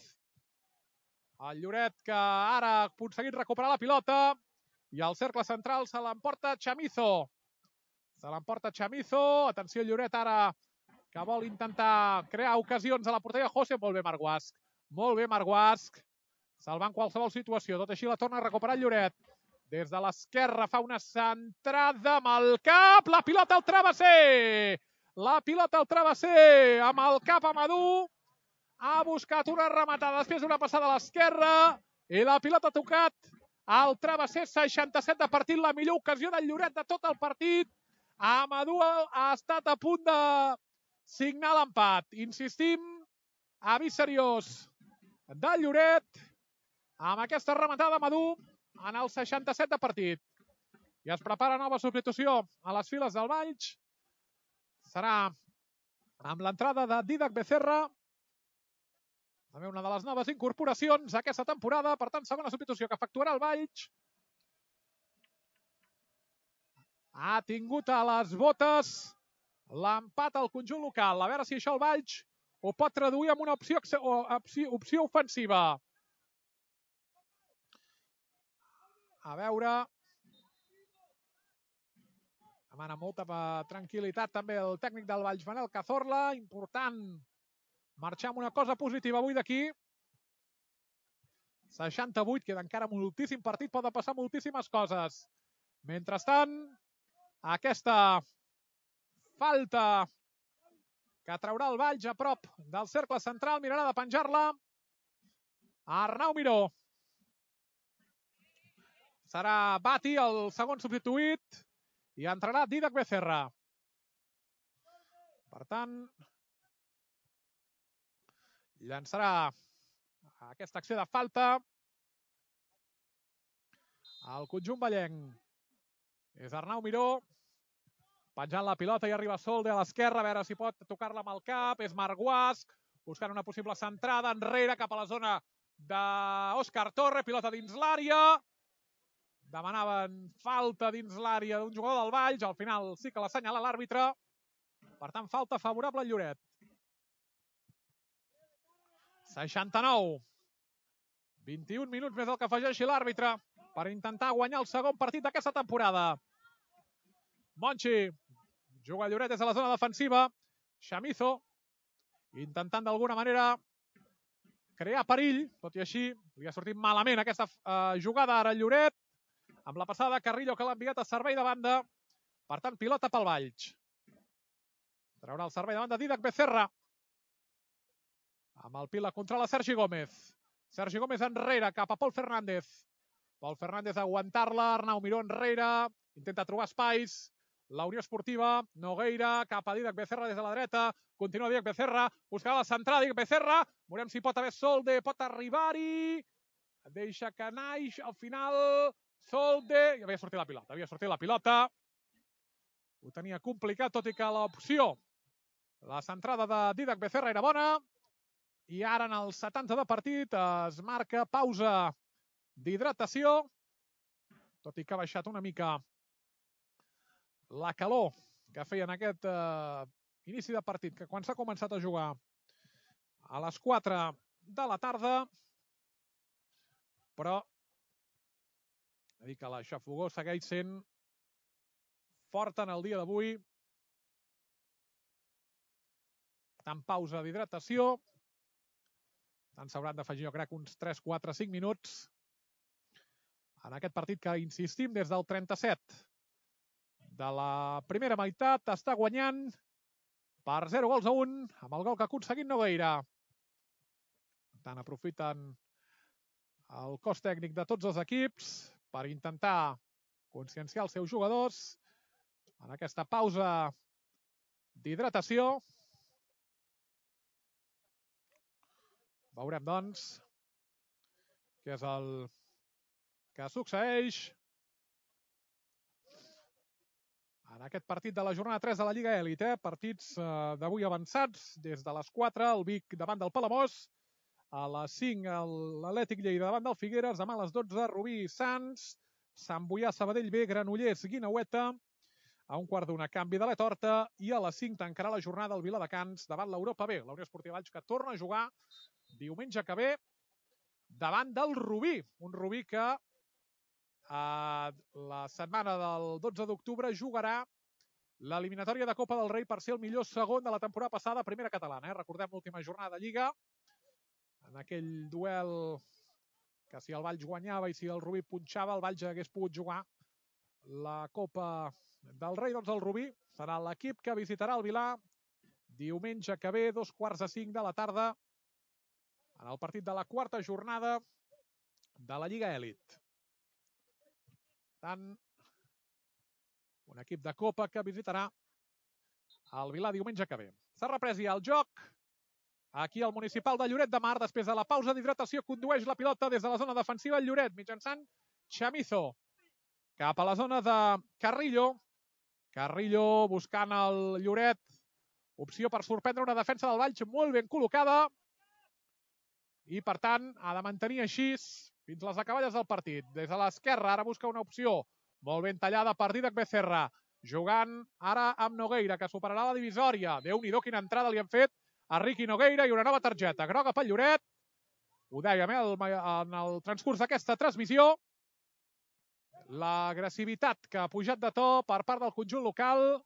El Lloret que ara ha aconseguit recuperar la pilota. I al cercle central se l'emporta Chamizo. Se l'emporta Chamizo. Atenció, Lloret ara que vol intentar crear ocasions a la porteria. José, molt bé Marc Guasc. Molt bé Marc Guasc. Salvant qualsevol situació. Tot així la torna a recuperar el Lloret. Des de l'esquerra fa una centrada amb el cap. La pilota al travesser. La pilota al travesser. Amb el cap Amadou. Ha buscat una rematada després d'una passada a l'esquerra. I la pilota ha tocat al travesser. 67 de partit. La millor ocasió del Lloret de tot el partit. Amadou ha estat a punt de signar l'empat. Insistim, avís seriós del Lloret amb aquesta rematada d'Amadou en el 67 de partit. I es prepara nova substitució a les files del Valls. Serà amb l'entrada de Dídac Becerra, també una de les noves incorporacions aquesta temporada. Per tant, segona substitució que efectuarà el Valls. Ha tingut a les botes l'empat al conjunt local. A veure si això el Valls ho pot traduir en una opció ofensiva. A veure. Demana molta tranquil·litat també el tècnic del Valls, Manel Cazorla. Important marxar amb una cosa positiva avui d'aquí. 68, queda encara moltíssim partit, poden passar moltíssimes coses. Mentrestant, aquesta falta que traurà el Valls a prop del cercle central, mirarà de penjar-la Arnau Miró. Serà Bati el segon substituït i entrarà Dídac Becerra. Per tant, llançarà aquesta acció de falta al conjunt vallenc. És Arnau Miró penjant la pilota i arriba Solde a l'esquerra, a veure si pot tocar-la amb el cap. És Marc Guasc buscant una possible centrada enrere cap a la zona d'Òscar Torre. Pilota dins l'àrea. Demanaven falta dins l'àrea d'un jugador del Valls. Al final sí que l'assenyala l'àrbitre. Per tant, falta favorable al Lloret. 69. 21 minuts més el que afegeixi l'àrbitre per intentar guanyar el segon partit d'aquesta temporada. Monchi juga el Lloret des de la zona defensiva. Chamizo intentant d'alguna manera crear perill, tot i així li ha sortit malament aquesta jugada ara el Lloret, amb la passada de Carrillo que l'ha enviat a servei de banda. Per tant, pilota pel Valls. Traurà el servei de banda Dídac Becerra. Amb el pila contra la Sergi Gómez. Sergi Gómez enrere cap a Pol Fernández. Pol Fernández a aguantar-la. Arnau Miró enrere. Intenta trobar espais. La Unió Esportiva, Nogueira, cap a Dídac Becerra des de la dreta. Continua Dídac Becerra, buscarà la centrada Dídac Becerra. Veurem si pot haver Solde, pot arribar-hi. Deixa que naix al final Solde. Havia sortit la pilota. Ho tenia complicat, tot i que l'opció, la centrada de Dídac Becerra era bona. I ara en el 70 de partit es marca pausa d'hidratació, tot i que ha baixat una mica la calor que feia en aquest inici de partit, que quan s'ha començat a jugar a les 4 de la tarda, però he dit que la xafogor segueix sent forta en el dia d'avui. tant, pausa d'hidratació. Tant s'hauran d'afegir, jo crec, uns 3, 4, 5 minuts en aquest partit que, insistim, des del 37 de la primera meitat està guanyant per 0-1 amb el gol que ha aconseguit Nogueira. Per tant, aprofiten el cos tècnic de tots els equips per intentar conscienciar els seus jugadors en aquesta pausa d'hidratació. Veurem, doncs, què és el que succeeix en aquest partit de la jornada 3 de la Lliga Elit. Partits d'avui avançats des de les 4, el Vic davant del Palamós, a les 5 l'Atlètic Lleida davant del Figueres, demà a les 12 Rubí Sants, Sant Boià Sabadell B, Granollers Guineueta, a 1:15 canvi de la torta, i a les 5 tancarà la jornada el Viladecans davant l'Europa B, la Unió Esportiva Valls, que torna a jugar diumenge que ve davant del Rubí, un Rubí que la setmana del 12 d'octubre jugarà l'eliminatòria de Copa del Rei per ser el millor segon de la temporada passada a primera catalana. Recordem l'última jornada de Lliga, en aquell duel que si el Valls guanyava i si el Rubí punxava, el Valls hagués pogut jugar la Copa del Rei. Doncs el Rubí serà l'equip que visitarà el Vilà diumenge que ve, 4:45 de la tarda, en el partit de la quarta jornada de la Lliga Elit. Per tant, un equip de Copa que visitarà el Vilà diumenge que ve. S'ha reprès ja el joc. Aquí el Municipal de Lloret de Mar, després de la pausa d'hidratació, condueix la pilota des de la zona defensiva el Lloret, mitjançant Chamizo. Cap a la zona de Carrillo. Carrillo buscant el Lloret. Opció per sorprendre una defensa del Valls molt ben col·locada. I, per tant, ha de mantenir així fins les acaballes del partit. Des de l'esquerra, ara busca una opció molt ben tallada per Didac Becerra. Jugant ara amb Nogueira, que superarà la divisòria. Déu-n'hi-do, quina entrada li han fet a Riqui Nogueira, i una nova targeta groga pel Lloret. Ho dèiem en el transcurs d'aquesta transmissió. L'agressivitat que ha pujat de to per part del conjunt local.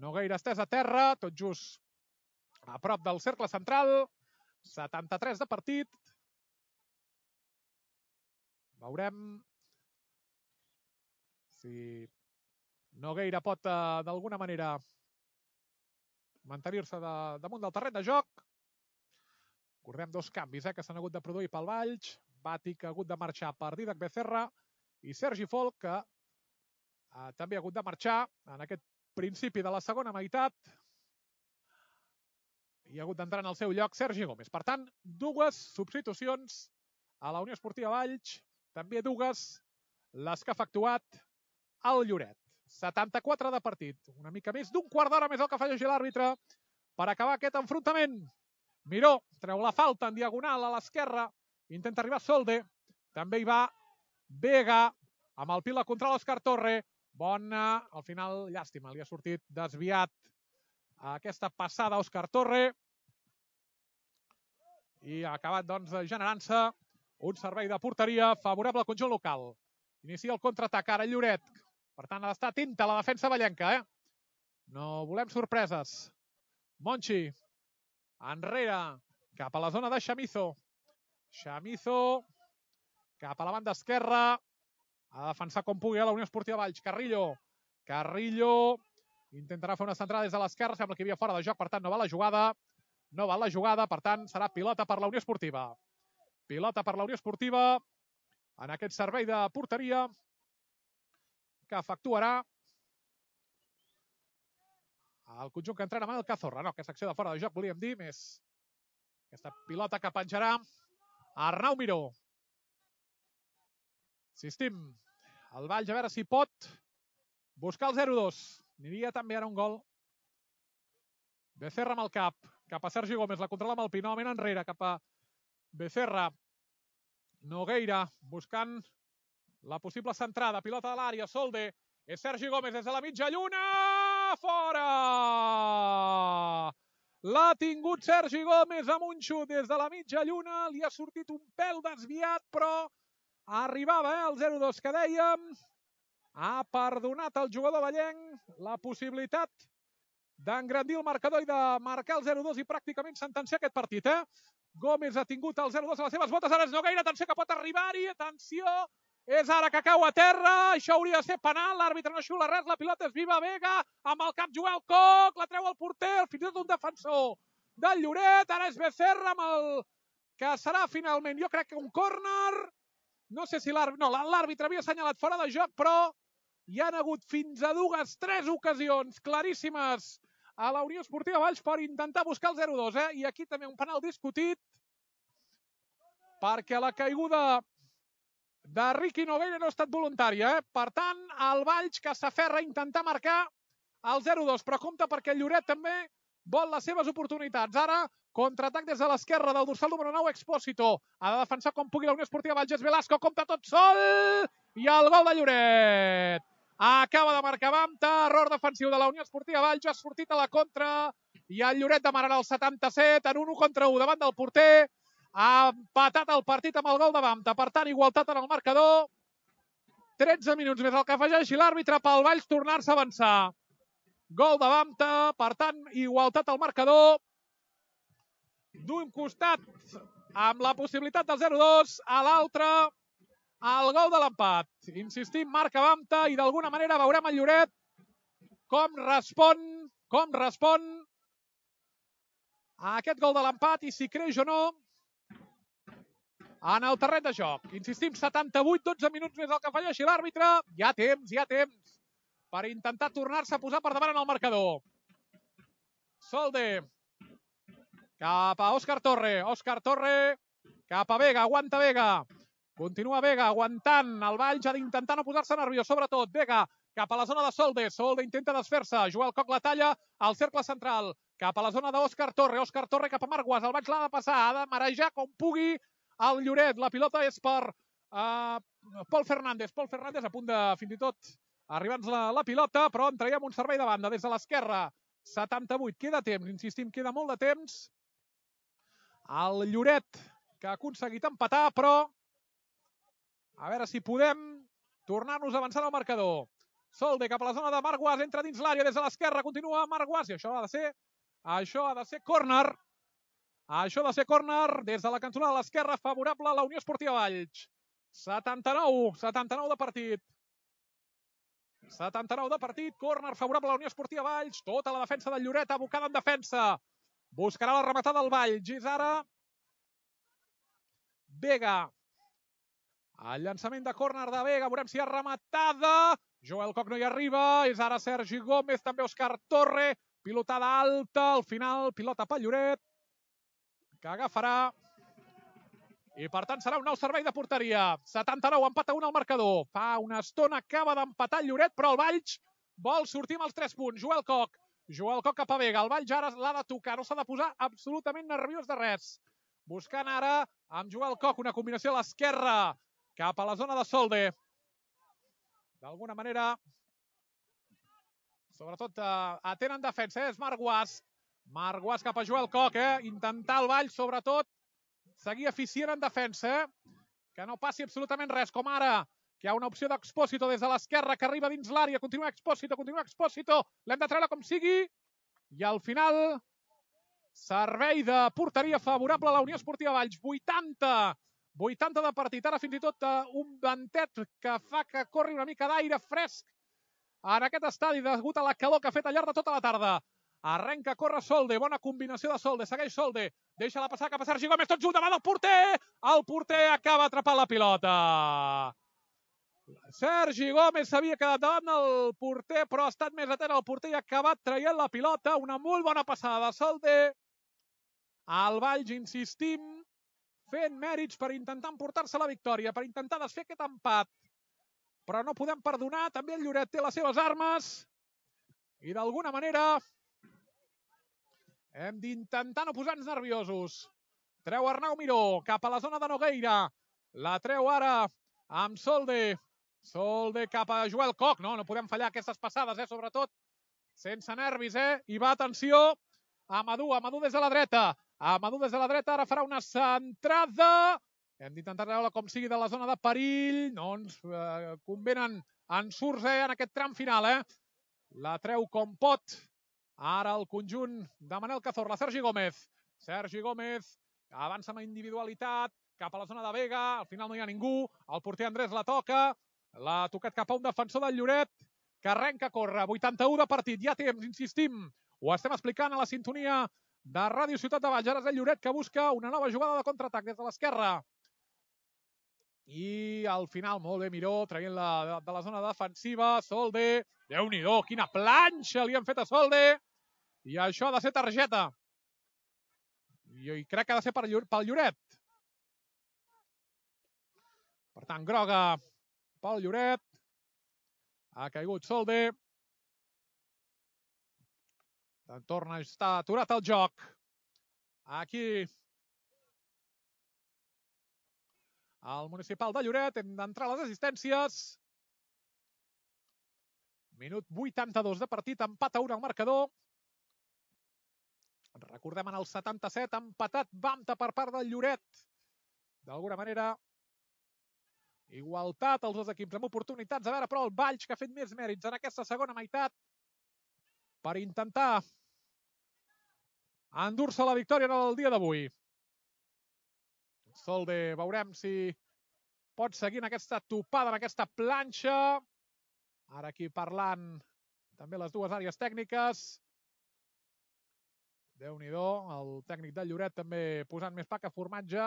Nogueira estès a terra, tot just a prop del cercle central. 73 de partit. Veurem si Nogueira pot d'alguna manera mantenir-se damunt del terreny de joc. Recordem dos canvis que s'han hagut de produir pel Valls. Bati, que ha hagut de marxar per Didac Becerra, i Sergi Folk, que també ha hagut de marxar en aquest principi de la segona meitat. I ha hagut d'entrar en el seu lloc Sergi Gómez. Per tant, dues substitucions a la Unió Esportiva Valls, també dues les que ha efectuat el Lloret. 74 de partit, una mica més d'un quart d'hora més el que afegeix l'àrbitre per acabar aquest enfrontament. Miró treu la falta en diagonal a l'esquerra, intenta arribar Solde, també hi va Vega, amb el pila contra l'Òscar Torre. Bona, al final, llàstima, li ha sortit desviat aquesta passada a Òscar Torre, i ha acabat, doncs, generant-se un servei de porteria favorable al conjunt local. Inicia el contraatac ara el Lloret. Per tant, ha d'estar atenta la defensa vallenca. No volem sorpreses. Monchi, enrere, cap a la zona de Chamizo. Chamizo, cap a la banda esquerra. Ha de defensar com pugui a la Unió Esportiva Valls. Carrillo. Carrillo intentarà fer una centrada des de l'esquerra. Sembla que hi havia fora de joc, per tant, no va la jugada. No va la jugada, per tant, serà pilota per la Unió Esportiva. Pilota per la Unió Esportiva en aquest servei de porteria que efectuarà el conjunt que entrena Manel Cazorra. No, aquesta acció de fora de joc, volíem dir, més aquesta pilota que penjarà Arnau Miró. Insistim, el Valls a veure si pot buscar el 0-2. Aniria també ara un gol. Becerra amb el cap a Sergi Gómez, la controla amb el Pinó, novament enrere, cap a Becerra. Nogueira buscant la possible centrada, pilota de l'àrea, Solde, és Sergi Gómez des de la mitja lluna, fora! L'ha tingut Sergi Gómez amb un xut des de la mitja lluna, li ha sortit un pèl desviat, però arribava el 0-2 que dèiem. Ha perdonat el jugador vallenc la possibilitat d'engrandir el marcador i de marcar el 0-2 i pràcticament sentenciar aquest partit, Gómez ha tingut el 0-2 a les seves botes, ara és Nogueira, atenció que pot arribar-hi, atenció, és ara que cau a terra, això hauria de ser penal, l'àrbitre no xiula res, la pilota és viva, Vega, amb el cap Joel Coc, la treu al porter, fins i tot un defensor del Lloret, ara és Becerra amb el que serà finalment, jo crec que un córner, no sé si l'àrbitre havia assenyalat fora de joc, però hi han hagut fins a tres ocasions claríssimes a la Unió Esportiva Valls per intentar buscar el 0-2, i aquí també un penal discutit perquè la caiguda de Riqui Nogueira no ha estat voluntària, Per tant, el Valls que s'aferra a intentar marcar el 0-2, però compte perquè el Lloret també vol les seves oportunitats. Ara, contraatac des de l'esquerra del dorsal número 9, Expósito. Ha de defensar com pugui la Unió Esportiva Valls, és Velasco, compta tot sol, i el gol de Lloret. Acaba de marcar Bamta, error defensiu de la Unió Esportiva Valls, ha sortit a la contra, i el Lloret demanarà el 77 en un 1 contra 1 davant del porter. Ha empatat el partit amb el gol de Bamta, per tant, igualtat en el marcador. 13 minuts més el que afegeixi l'àrbitre pel Valls tornar-se a avançar. Gol de Bamta, per tant, igualtat al marcador. D'un costat, amb la possibilitat del 0-2, a l'altre, el gol de l'empat. Insistim, marca Bamta i d'alguna manera veurem el Lloret com respon a aquest gol de l'empat i si creix o no en el terreny de joc. Insistim, 78, 12 minuts més el que afegeixi l'àrbitre. Hi ha temps per intentar tornar-se a posar per davant en el marcador. Solde cap a Òscar Torre. Òscar Torre cap a Vega. Aguanta Vega. Continua Vega aguantant. El Valls ha d'intentar no posar-se nerviós. Sobretot Vega cap a la zona de Solde. Solde intenta desfer-se. Joel Coc la talla al cercle central. Cap a la zona d'Òscar Torre. Òscar Torre cap a Marc Guas. El Valls l'ha de passar. Ha de marejar com pugui el Lloret. La pilota és per Pol Fernández. Pol Fernández a punt de, fins i tot, arribar-nos la pilota, però en traiem un servei de banda des de l'esquerra. 78. Queda temps, insistim, queda molt de temps. El Lloret que ha aconseguit empatar, però a veure si podem tornar-nos a avançar al marcador. Solde cap a la zona de Marc Guas, entra dins l'àrea des de l'esquerra, continua Marc Guas, i això ha de ser córner. Això ha de ser córner des de la cantonada de l'esquerra, favorable a la Unió Esportiva Valls. 79 de partit. 79 de partit, córner favorable a la Unió Esportiva Valls, tota la defensa del Lloret abocada en defensa. Buscarà la rematada del Valls, és ara Vega. El llançament de córner de Vega, veurem si hi ha rematada. Joel Coc no hi arriba, és ara Sergi Gómez, també Òscar Torre, pilotada alta, al final pilota pel Lloret, que agafarà. I per tant serà un nou servei de porteria. 79, empat a 1 al marcador. Fa una estona acaba d'empatar el Lloret, però el Valls vol sortir amb els 3 punts. Joel Coc cap a Vega. El Valls ara l'ha de tocar, no s'ha de posar absolutament nerviós de res. Buscant ara amb Joel Coc una combinació a l'esquerra cap a la zona de Solde. D'alguna manera, sobretot atenen defensa, és Marc Guas. Marc Guas cap a Joel Coc, intentar el Valls, sobretot, seguir eficient en defensa, que no passi absolutament res, com ara, que hi ha una opció d'Expósito des de l'esquerra que arriba dins l'àrea, continua Expósito, l'hem de treure com sigui, i al final, servei de porteria favorable a la Unió Esportiva Valls, 80 de partit, ara fins i tot un ventet que fa que corri una mica d'aire fresc en aquest estadi degut a la calor que ha fet al llarg de tota la tarda. Arrenca, corre Solde, bona combinació de Solde, segueix Solde, deixa-la passar cap a Sergi Gómez, tot just davant del porter, el porter acaba atrapant la pilota. Sergi Gómez s'havia quedat davant del porter, però ha estat més atent al porter i ha acabat traient la pilota, una molt bona passada de Solde. El Valls, insistim, fent mèrits per intentar emportar-se la victòria, per intentar desfer aquest empat. Però no podem perdonar, també el Lloret té les seves armes i d'alguna manera hem d'intentar no posar-nos nerviosos. Treu Arnau Miró cap a la zona de Nogueira. La treu ara amb Solde. Solde cap a Joel Coc. No podem fallar aquestes passades, sobretot sense nervis, I va, atenció, Amadou des de la dreta. Amadou des de la dreta, ara farà una centrada. Hem d'intentar treure-la com sigui de la zona de perill. No ens convenen ensurts en aquest tram final, La treu com pot Ara el conjunt de Manel Cazorla, Sergi Gómez. Sergi Gómez avança amb individualitat cap a la zona de Vega, al final no hi ha ningú, el porter Andrés la toca, l'ha tocat cap a un defensor del Lloret, que arrenca a córrer, 81 de partit, ja temps, insistim, ho estem explicant a la sintonia de Ràdio Ciutat de Valls, ara és el Lloret que busca una nova jugada de contraatac des de l'esquerra. I al final, molt bé, Miró, traient-la de la zona defensiva, Solde, Déu-n'hi-do, quina planxa li han fet a Solde, i això ha de ser targeta. I crec que ha de ser pel Lloret. Per tant, groga pel Lloret. Ha caigut Solde. Torna a estar aturat el joc. Aquí al municipal de Lloret. Hem d'entrar a les assistències. Minut 82 de partit, empat a 1 al marcador. Recordem, en el 77, empatat Bamta per part del Lloret. D'alguna manera, igualtat els dos equips amb oportunitats. A veure, però, el Valls, que ha fet més mèrits en aquesta segona meitat per intentar endur-se la victòria en el dia d'avui. Solde, veurem si pot seguir en aquesta topada, en aquesta planxa. Ara aquí parlant també les dues àrees tècniques. Déu-n'hi-do, el tècnic del Lloret també posant més pa que formatge.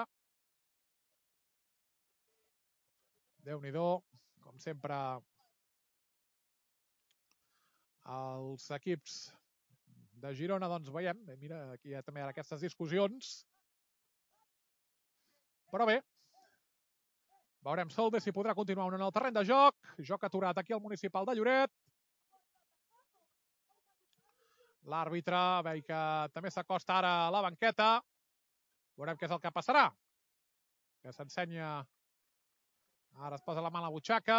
Déu-n'hi-do, com sempre, els equips de Girona, doncs veiem, mira, aquí hi ha també aquestes discussions. Però bé, veurem Solde si podrà continuar en el terreny de joc. Joc aturat aquí al municipal de Lloret. L'àrbitre, veig que també s'acosta ara a la banqueta. Veurem què és el que passarà. Que s'ensenya. Ara es posa la mà a la butxaca.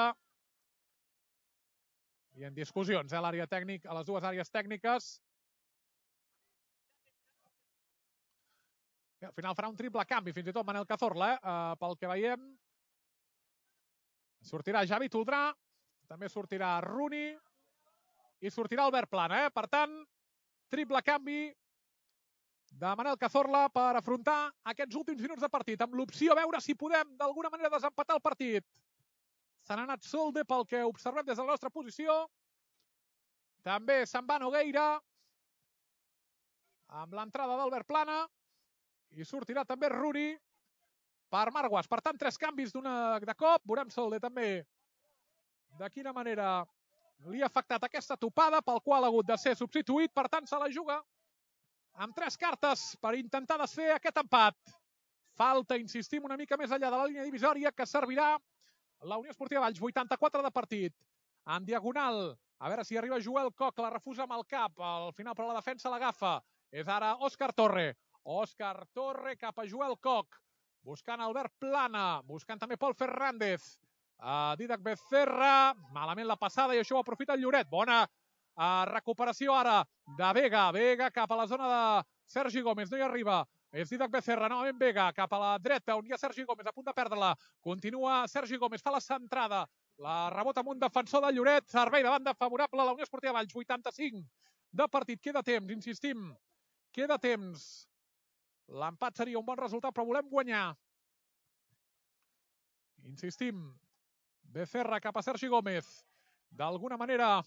I en discussions, a l'àrea tècnica, a les dues àrees tècniques. Al final farà un triple canvi, fins i tot Manel Cazorla, pel que veiem. Sortirà Javi Toldrà, també sortirà Rooney i sortirà Albert Plana. Per tant, triple canvi de Manel Cazorla per afrontar aquests últims minuts de partit, amb l'opció a veure si podem d'alguna manera desempatar el partit. Se n'ha anat Solde pel que observem des de la nostra posició. També se'n va Nogueira amb l'entrada d'Albert Plana i sortirà també Rooney per Marguas. Per tant, 3 canvis de cop. Veurem Solde també de quina manera li ha afectat aquesta topada, pel qual ha hagut de ser substituït. Per tant, se la juga amb 3 cartes per intentar desfer aquest empat. Falta, insistim, una mica més enllà de la línia divisòria, que servirà la Unió Esportiva Valls. 84 de partit. En diagonal, a veure si arriba Joel Koch, la refusa amb el cap. Al final, però, la defensa l'agafa. És ara Òscar Torre. Òscar Torre cap a Joel Koch. Buscant Albert Plana. Buscant també Pol Fernández. Didac Becerra. Malament la passada i això ho aprofita el Lloret. Bona recuperació ara de Vega. Vega cap a la zona de Sergi Gómez. No hi arriba. És Didac Becerra. Novament Vega cap a la dreta on hi ha Sergi Gómez a punt de perdre-la. Continua Sergi Gómez. Fa la centrada. La rebota amb un defensor del Lloret. Servei de banda favorable a la Unió Esportiva Valls. 85 de partit. Queda temps, insistim. Queda temps. L'empat seria un bon resultat, però volem guanyar. Insistim. Becerra cap a Sergi Gómez. D'alguna manera,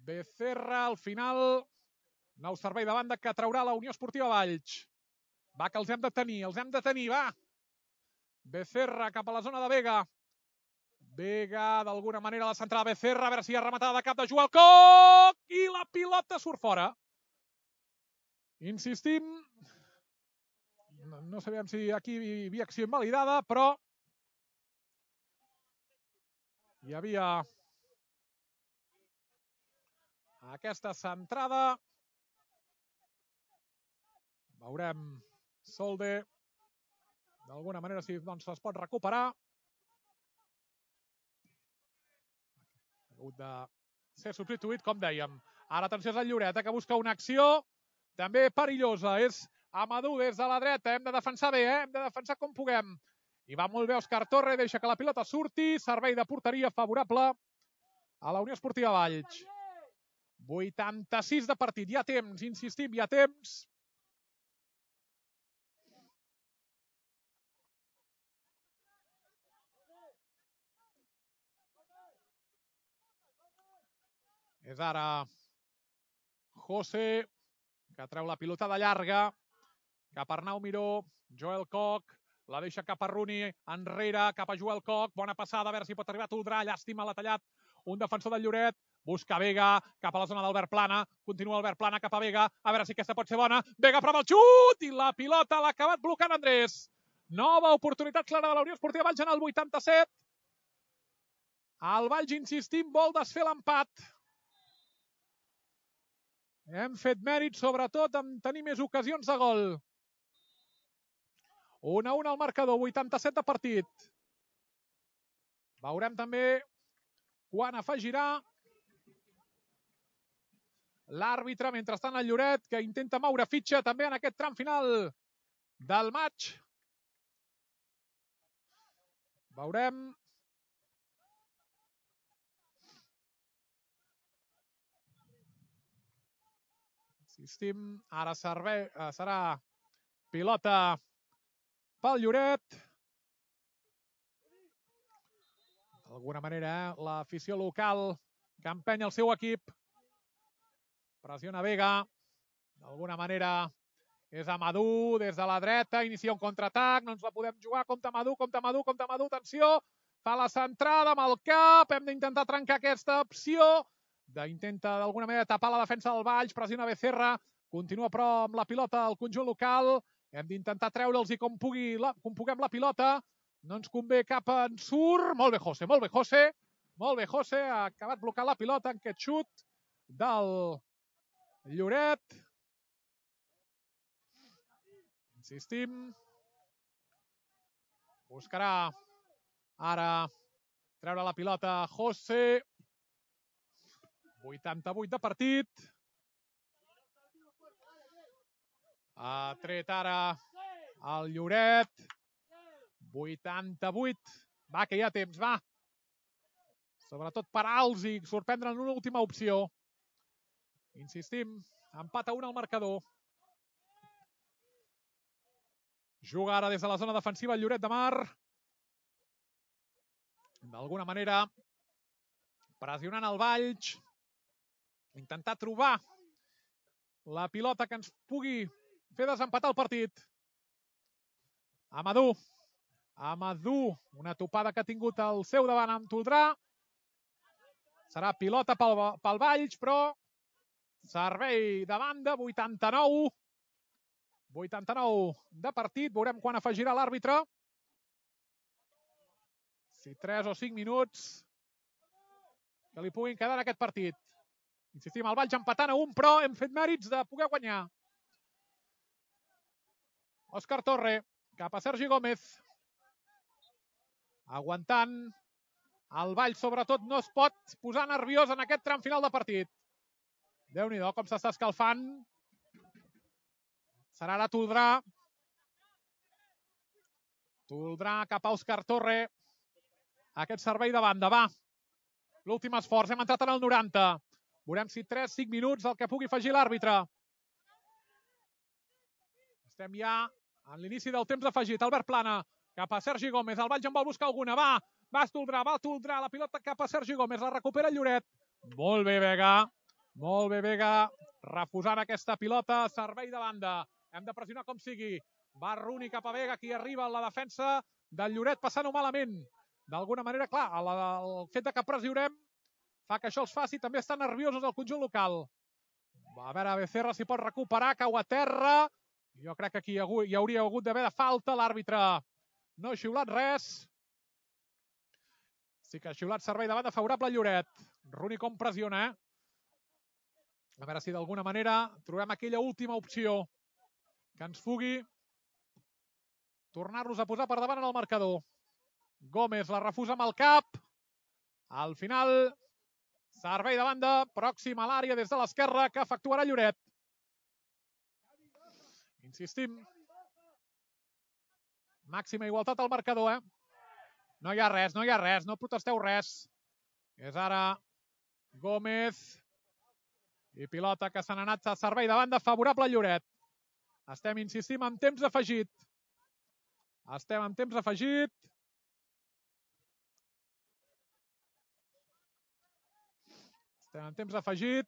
Becerra al final. Nou servei de banda que traurà la Unió Esportiva Valls. Va, que els hem de tenir, va. Becerra cap a la zona de Vega. Vega, d'alguna manera, la centrada de Becerra. A veure si hi ha rematada de cap de Joel Koch. I la pilota surt fora. Insistim. No sabem si aquí hi havia acció invalidada, però hi havia aquesta centrada. Veurem Solde. D'alguna manera si es pot recuperar. Ha hagut de ser substituït, com dèiem. Ara atenció és el Lloret, que busca una acció també perillosa. És Amadou des de la dreta. Hem de defensar bé, hem de defensar com puguem. I va molt bé Òscar Torre, deixa que la pilota surti. Servei de porteria favorable a la Unió Esportiva Valls. 86 de partit. Hi ha temps, insistim, hi ha temps. És ara José, que treu la pilota de llarga, cap a Arnau Miró, Joel Koch, la deixa cap a Rooney, enrere, cap a Joel Koch, bona passada, a veure si pot arribar a Toldrà, llàstima, l'ha tallat un defensor del Lloret, busca Vega, cap a la zona d'Albert Plana, continua Albert Plana cap a Vega, a veure si aquesta pot ser bona, Vega prova el xut, i la pilota l'ha acabat blocant Andrés. Nova oportunitat clara de la Unió Esportiva Valls en el 87. El Valls, insistim, vol desfer l'empat. Hem fet mèrit, sobretot, en tenir més ocasions de gol. 1-1 al marcador, 87 de partit. Veurem també quan afegirà l'àrbitre. Mentrestant, el Lloret, que intenta moure fitxa també en aquest tram final del maig. Veurem. Insistim, ara serà pilota pel Lloret. D'alguna manera, l'afició local que empeny el seu equip. Pressiona Vega. D'alguna manera és Amadou des de la dreta. Inicia un contraatac. No ens la podem jugar. Compte Amadou, compte Amadou, compte Amadou. Atenció. Fa la centrada amb el cap. Hem d'intentar trencar aquesta opció. Intenta d'alguna manera tapar la defensa del Valls. Pressiona Becerra. Continua però amb la pilota al conjunt local. Hem d'intentar treure'ls i com puguem la pilota. No ens convé cap ensurt. Molt bé, José, molt bé, José. Molt bé, José. Ha acabat blocant la pilota en aquest xut del Lloret. Insistim. Buscarà ara treure la pilota José. 88 de partit. Ha tret ara el Lloret. 88. Va, que hi ha temps, va. Sobretot parar-los i sorprendre en una última opció. Insistim, empat a 1 al marcador. Juga ara des de la zona defensiva el Lloret de Mar. D'alguna manera, pressionant el Valls. Intentar trobar la pilota que ens pugui fer desempatar el partit. Amadou. Amadou, una topada que ha tingut al seu davant amb Toldrà. Serà pilota pel Valls, però servei de banda, 89. 89 de partit. Veurem quan afegirà l'àrbitre. Si 3 o 5 minuts que li puguin quedar en aquest partit. Insistim, el Valls empatant a 1, però hem fet mèrits de poder guanyar. Òscar Torre, cap a Sergi Gómez. Aguantant. El Valls, sobretot, no es pot posar nerviós en aquest tram final de partit. Déu-n'hi-do, com s'està escalfant. Serà ara Toldrà. Toldrà cap a Òscar Torre. Aquest servei de banda, va. L'últim esforç, hem entrat en el 90. Veurem si 3-5 minuts el que pugui afegir l'àrbitre. Estem ja en l'inici del temps afegit. Albert Plana cap a Sergi Gómez. El Valls en vol buscar alguna. Va Toldrà, la pilota cap a Sergi Gómez. La recupera el Lloret. Molt bé, Vega. Molt bé, Vega. Refusant aquesta pilota. Servei de banda. Hem de pressionar com sigui. Va Rooney cap a Vega. Aquí arriba la defensa del Lloret passant-ho malament. D'alguna manera, clar, el fet que pressionem fa que això els faci. També estan nerviosos el conjunt local. A veure, Becerra si pot recuperar. Cau a terra. Jo crec que aquí hi hauria hagut d'haver de falta. L'àrbitre no ha xiulat res. Sí que ha xiulat servei de banda favorable al Lloret. Rooney com pressiona, A veure si d'alguna manera trobem aquella última opció que ens pugui tornar-los a posar per davant en el marcador. Gómez la refusa amb el cap. Al final, servei de banda, pròxim a l'àrea des de l'esquerra que efectuarà Lloret. Insistim. Màxima igualtat al marcador, No hi ha res, no protesteu res. És ara Gómez. I pilota que se n'ha anat a servei de banda favorable al Lloret. Estem, insistim, en temps afegit. Estem en temps afegit. Estem en temps afegit.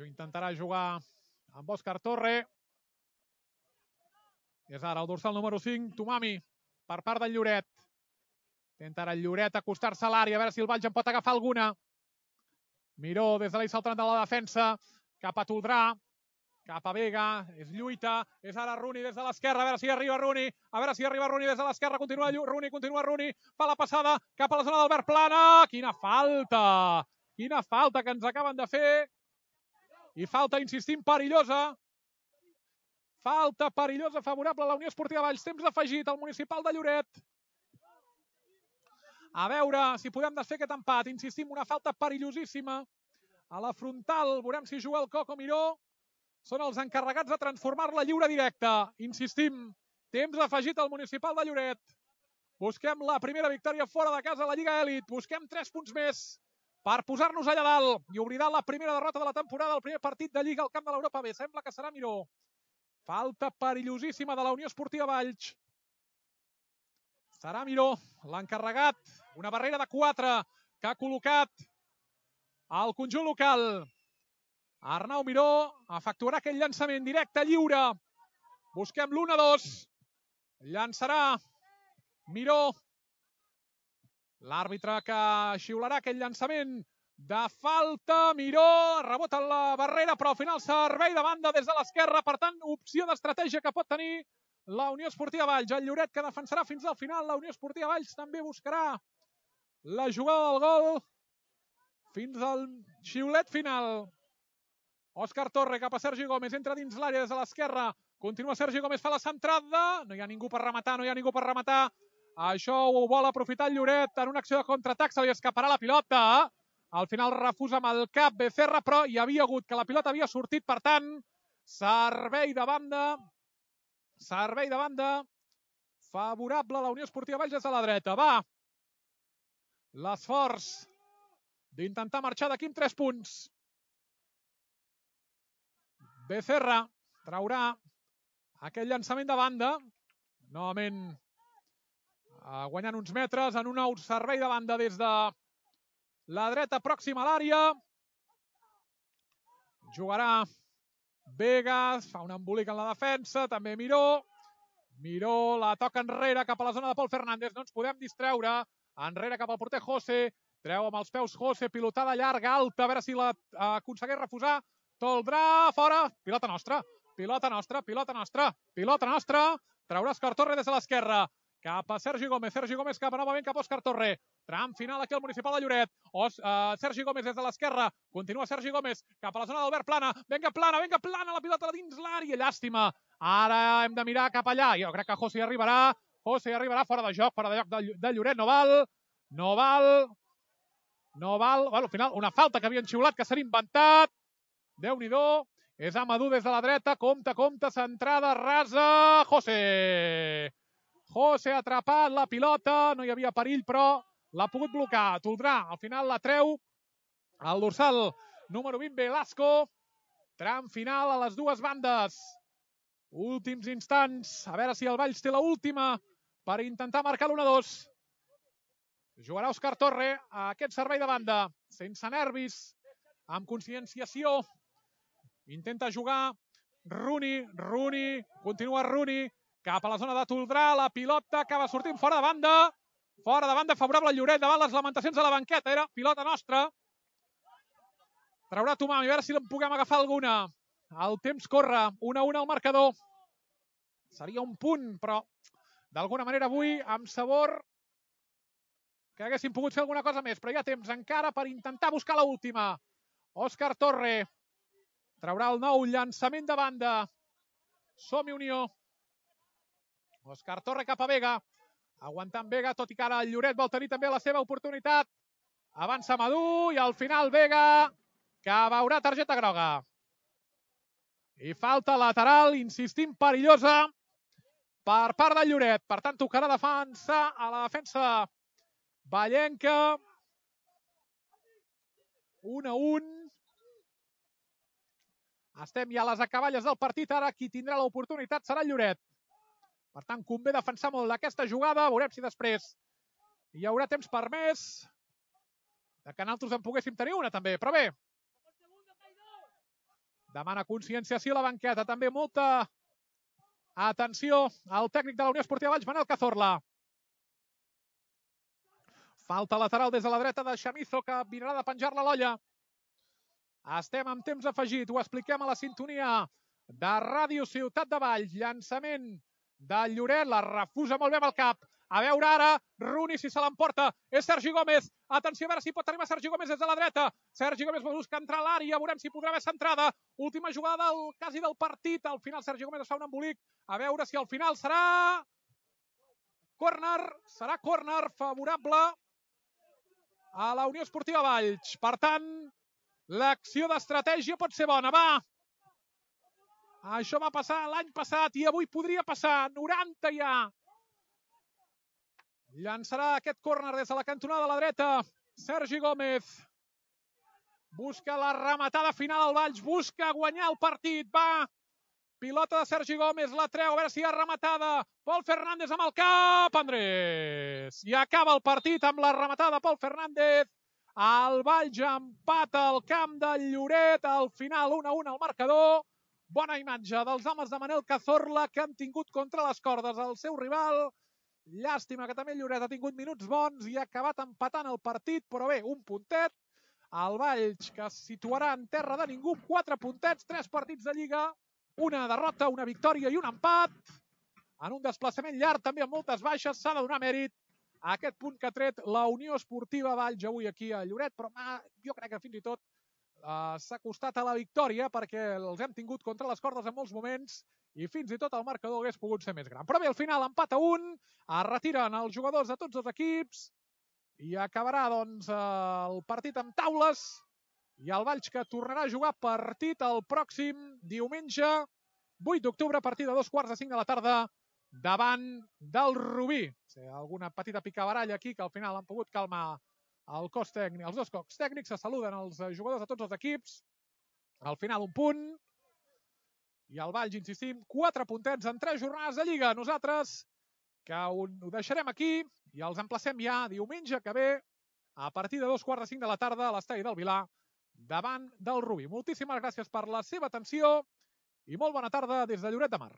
Intentarà jugar amb Òscar Torre. És ara el dorsal número 5, Tomami, per part del Lloret. Intenta ara el Lloret acostar-se a l'àrea, a veure si el Valls en pot agafar alguna. Miró des de l'eix saltant de la defensa, cap a Toldrà, cap a Vega, és lluita, és ara Runi des de l'esquerra, a veure si arriba Runi, des de l'esquerra, continua Runi, fa la passada cap a la zona d'Albert Plana, quina falta que ens acaben de fer, i falta, insistim, perillosa. Falta perillosa favorable a la Unió Esportiva Valls. Temps afegit al municipal de Lloret. A veure si podem desfer aquest empat. Insistim, una falta perillosíssima. A la frontal, veurem si juga el Coco Miró. Són els encarregats de transformar-la lliure directa. Insistim, temps afegit al municipal de Lloret. Busquem la primera victòria fora de casa a la Lliga Elit. Busquem 3 punts més per posar-nos allà dalt i oblidar la primera derrota de la temporada, el primer partit de Lliga al camp de l'Europa B. Sembla que serà Miró. Falta perillosíssima de la Unió Esportiva Valls. Serà Miró l'encarregat. Una barrera de 4 que ha col·locat el conjunt local. Arnau Miró efectuarà aquell llançament directe, lliure. Busquem l'1-2. Llançarà Miró. L'àrbitre que xiularà aquell llançament de falta. Miró rebota en la barrera, però al final servei de banda des de l'esquerra. Per tant, opció d'estratègia que pot tenir la Unió Esportiva Valls. El Lloret que defensarà fins al final. La Unió Esportiva Valls també buscarà la jugada del gol fins al xiulet final. Òscar Torre cap a Sergi Gómez. Entra dins l'àrea des de l'esquerra. Continua Sergi Gómez, fa la centrada. No hi ha ningú per rematar, Això ho vol aprofitar el Lloret en una acció de contraatac. Se li escaparà la pilota. Al final refusa amb el cap Becerra, però hi havia hagut que la pilota havia sortit. Per tant, servei de banda favorable a la Unió Esportiva Valls des de la dreta. Va l'esforç d'intentar marxar d'aquí amb 3 punts. Becerra traurà aquell llançament de banda. Novament guanyant uns metres en un nou servei de banda des de la dreta pròxima a l'àrea. Jugarà Vegas, fa un embolic en la defensa, també Miró. Miró la toca enrere cap a la zona de Pol Fernández, no ens podem distreure. Enrere cap al porter José, treu amb els peus José, pilotada llarga, alta, a veure si l'aconsegueix refusar. Toldrà, fora, pilota nostra. Traurà Òscar Torre des de l'esquerra. Cap a Sergi Gómez cap a novament cap a Òscar Torre. Tram final aquí al municipal de Lloret. Sergi Gómez des de l'esquerra. Continua Sergi Gómez cap a la zona d'Albert Plana. Vinga plana, la pilota dins l'àrea. Llàstima. Ara hem de mirar cap allà. Jo crec que José hi arribarà. Fora de joc de Lloret. No val. Bueno, al final, una falta que havien xiulat que s'han inventat. Déu-n'hi-do. És Amadou des de la dreta. Compte, centrada, rasa. José ha atrapat la pilota, no hi havia perill, però l'ha pogut blocar. Toldrà, al final la treu el dorsal número 20, Velasco. Tram final a les dues bandes. Últims instants, a veure si el Valls té l'última per intentar marcar l'1-2. Jugarà Òscar Torre a aquest servei de banda, sense nervis, amb conscienciació. Intenta jugar Runi, continua Runi, cap a la zona de Toldrà, la pilota acaba sortint fora de banda favorable al Lloret, davant les lamentacions de la banqueta, era pilota nostra. Traurà Tomami, a veure si en puguem agafar alguna. El temps corre, 1-1 al marcador. Seria un punt, però d'alguna manera avui amb sabor que haguéssim pogut fer alguna cosa més, però hi ha temps encara per intentar buscar l'última. Òscar Torre traurà el nou llançament de banda. Som-hi Unió. Òscar Torre cap a Vega. Aguantant Vega, tot i que ara el Lloret vol tenir també la seva oportunitat. Avança Amadou i al final Vega, que veurà targeta groga. I falta lateral, insistim, perillosa, per part del Lloret. Per tant, tocarà defensar a la defensa vallenca. 1-1. Estem ja a les acaballes del partit. Ara qui tindrà l'oportunitat serà el Lloret. Per tant, convé defensar molt aquesta jugada. Veurem si després hi haurà temps per més. De que nosaltres en poguéssim tenir una, també. Però bé. Demana conscienciació a la banqueta. També molta atenció al tècnic de la Unió Esportiva Valls, Manel Cazorla. Falta lateral des de la dreta de Chamizo, que vindrà de penjar-la a l'olla. Estem amb temps afegit. Ho expliquem a la sintonia de Ràdio Ciutat de Valls. Llançament del Lloret. La refusa molt bé amb el cap. A veure ara, Rooney si se l'emporta. És Sergi Gómez. Atenció a veure si pot arribar Sergi Gómez des de la dreta. Sergi Gómez busca entrar a l'àrea. Veurem si podrà haver centrada. Última jugada quasi del partit. Al final Sergi Gómez es fa un embolic. A veure si al final serà córner. Serà córner favorable a la Unió Esportiva Valls. Per tant, l'acció d'estratègia pot ser bona. Va! Això va passar l'any passat i avui podria passar. 90 ja. Llançarà aquest córner des de la cantonada de la dreta. Sergi Gómez. Busca la rematada final al Valls. Busca guanyar el partit. Va! Pilota de Sergi Gómez. La treu. A veure si hi ha rematada. Pol Fernández amb el cap. Andrés. I acaba el partit amb la rematada de Pol Fernández. El Valls empata al camp del Lloret. Al final 1-1 al marcador. Bona imatge dels homes de Manel Cazorla, que han tingut contra les cordes el seu rival. Llàstima que també el Lloret ha tingut minuts bons i ha acabat empatant el partit, però bé, un puntet. El Valls, que es situarà en terra de ningú, 4 puntets, 3 partits de Lliga, una derrota, una victòria i un empat. En un desplaçament llarg, també amb moltes baixes, s'ha de donar mèrit a aquest punt que ha tret la Unió Esportiva Valls avui aquí a Lloret, però jo crec que fins i tot s'ha costat a la victòria perquè els hem tingut contra les cordes en molts moments i fins i tot el marcador hagués pogut ser més gran. Però bé, al final empat a 1, es retiren els jugadors de tots els equips i acabarà doncs el partit amb taules i el Valls, que tornarà a jugar partit el pròxim diumenge 8 d'octubre a partir de 2:45 de la tarda davant del Rubí. Alguna petita picabaralla aquí que al final han pogut calmar el cos tècnic. Els dos cos tècnics se saluden els jugadors de tots els equips. Al final un punt. I el Valls, insistim, 4 puntets en 3 jornades de Lliga. Nosaltres que ho deixarem aquí i els emplacem ja diumenge que ve a partir de 2:45 de la tarda a l'estadi del Vilar davant del Rubí. Moltíssimes gràcies per la seva atenció i molt bona tarda des de Lloret de Mar.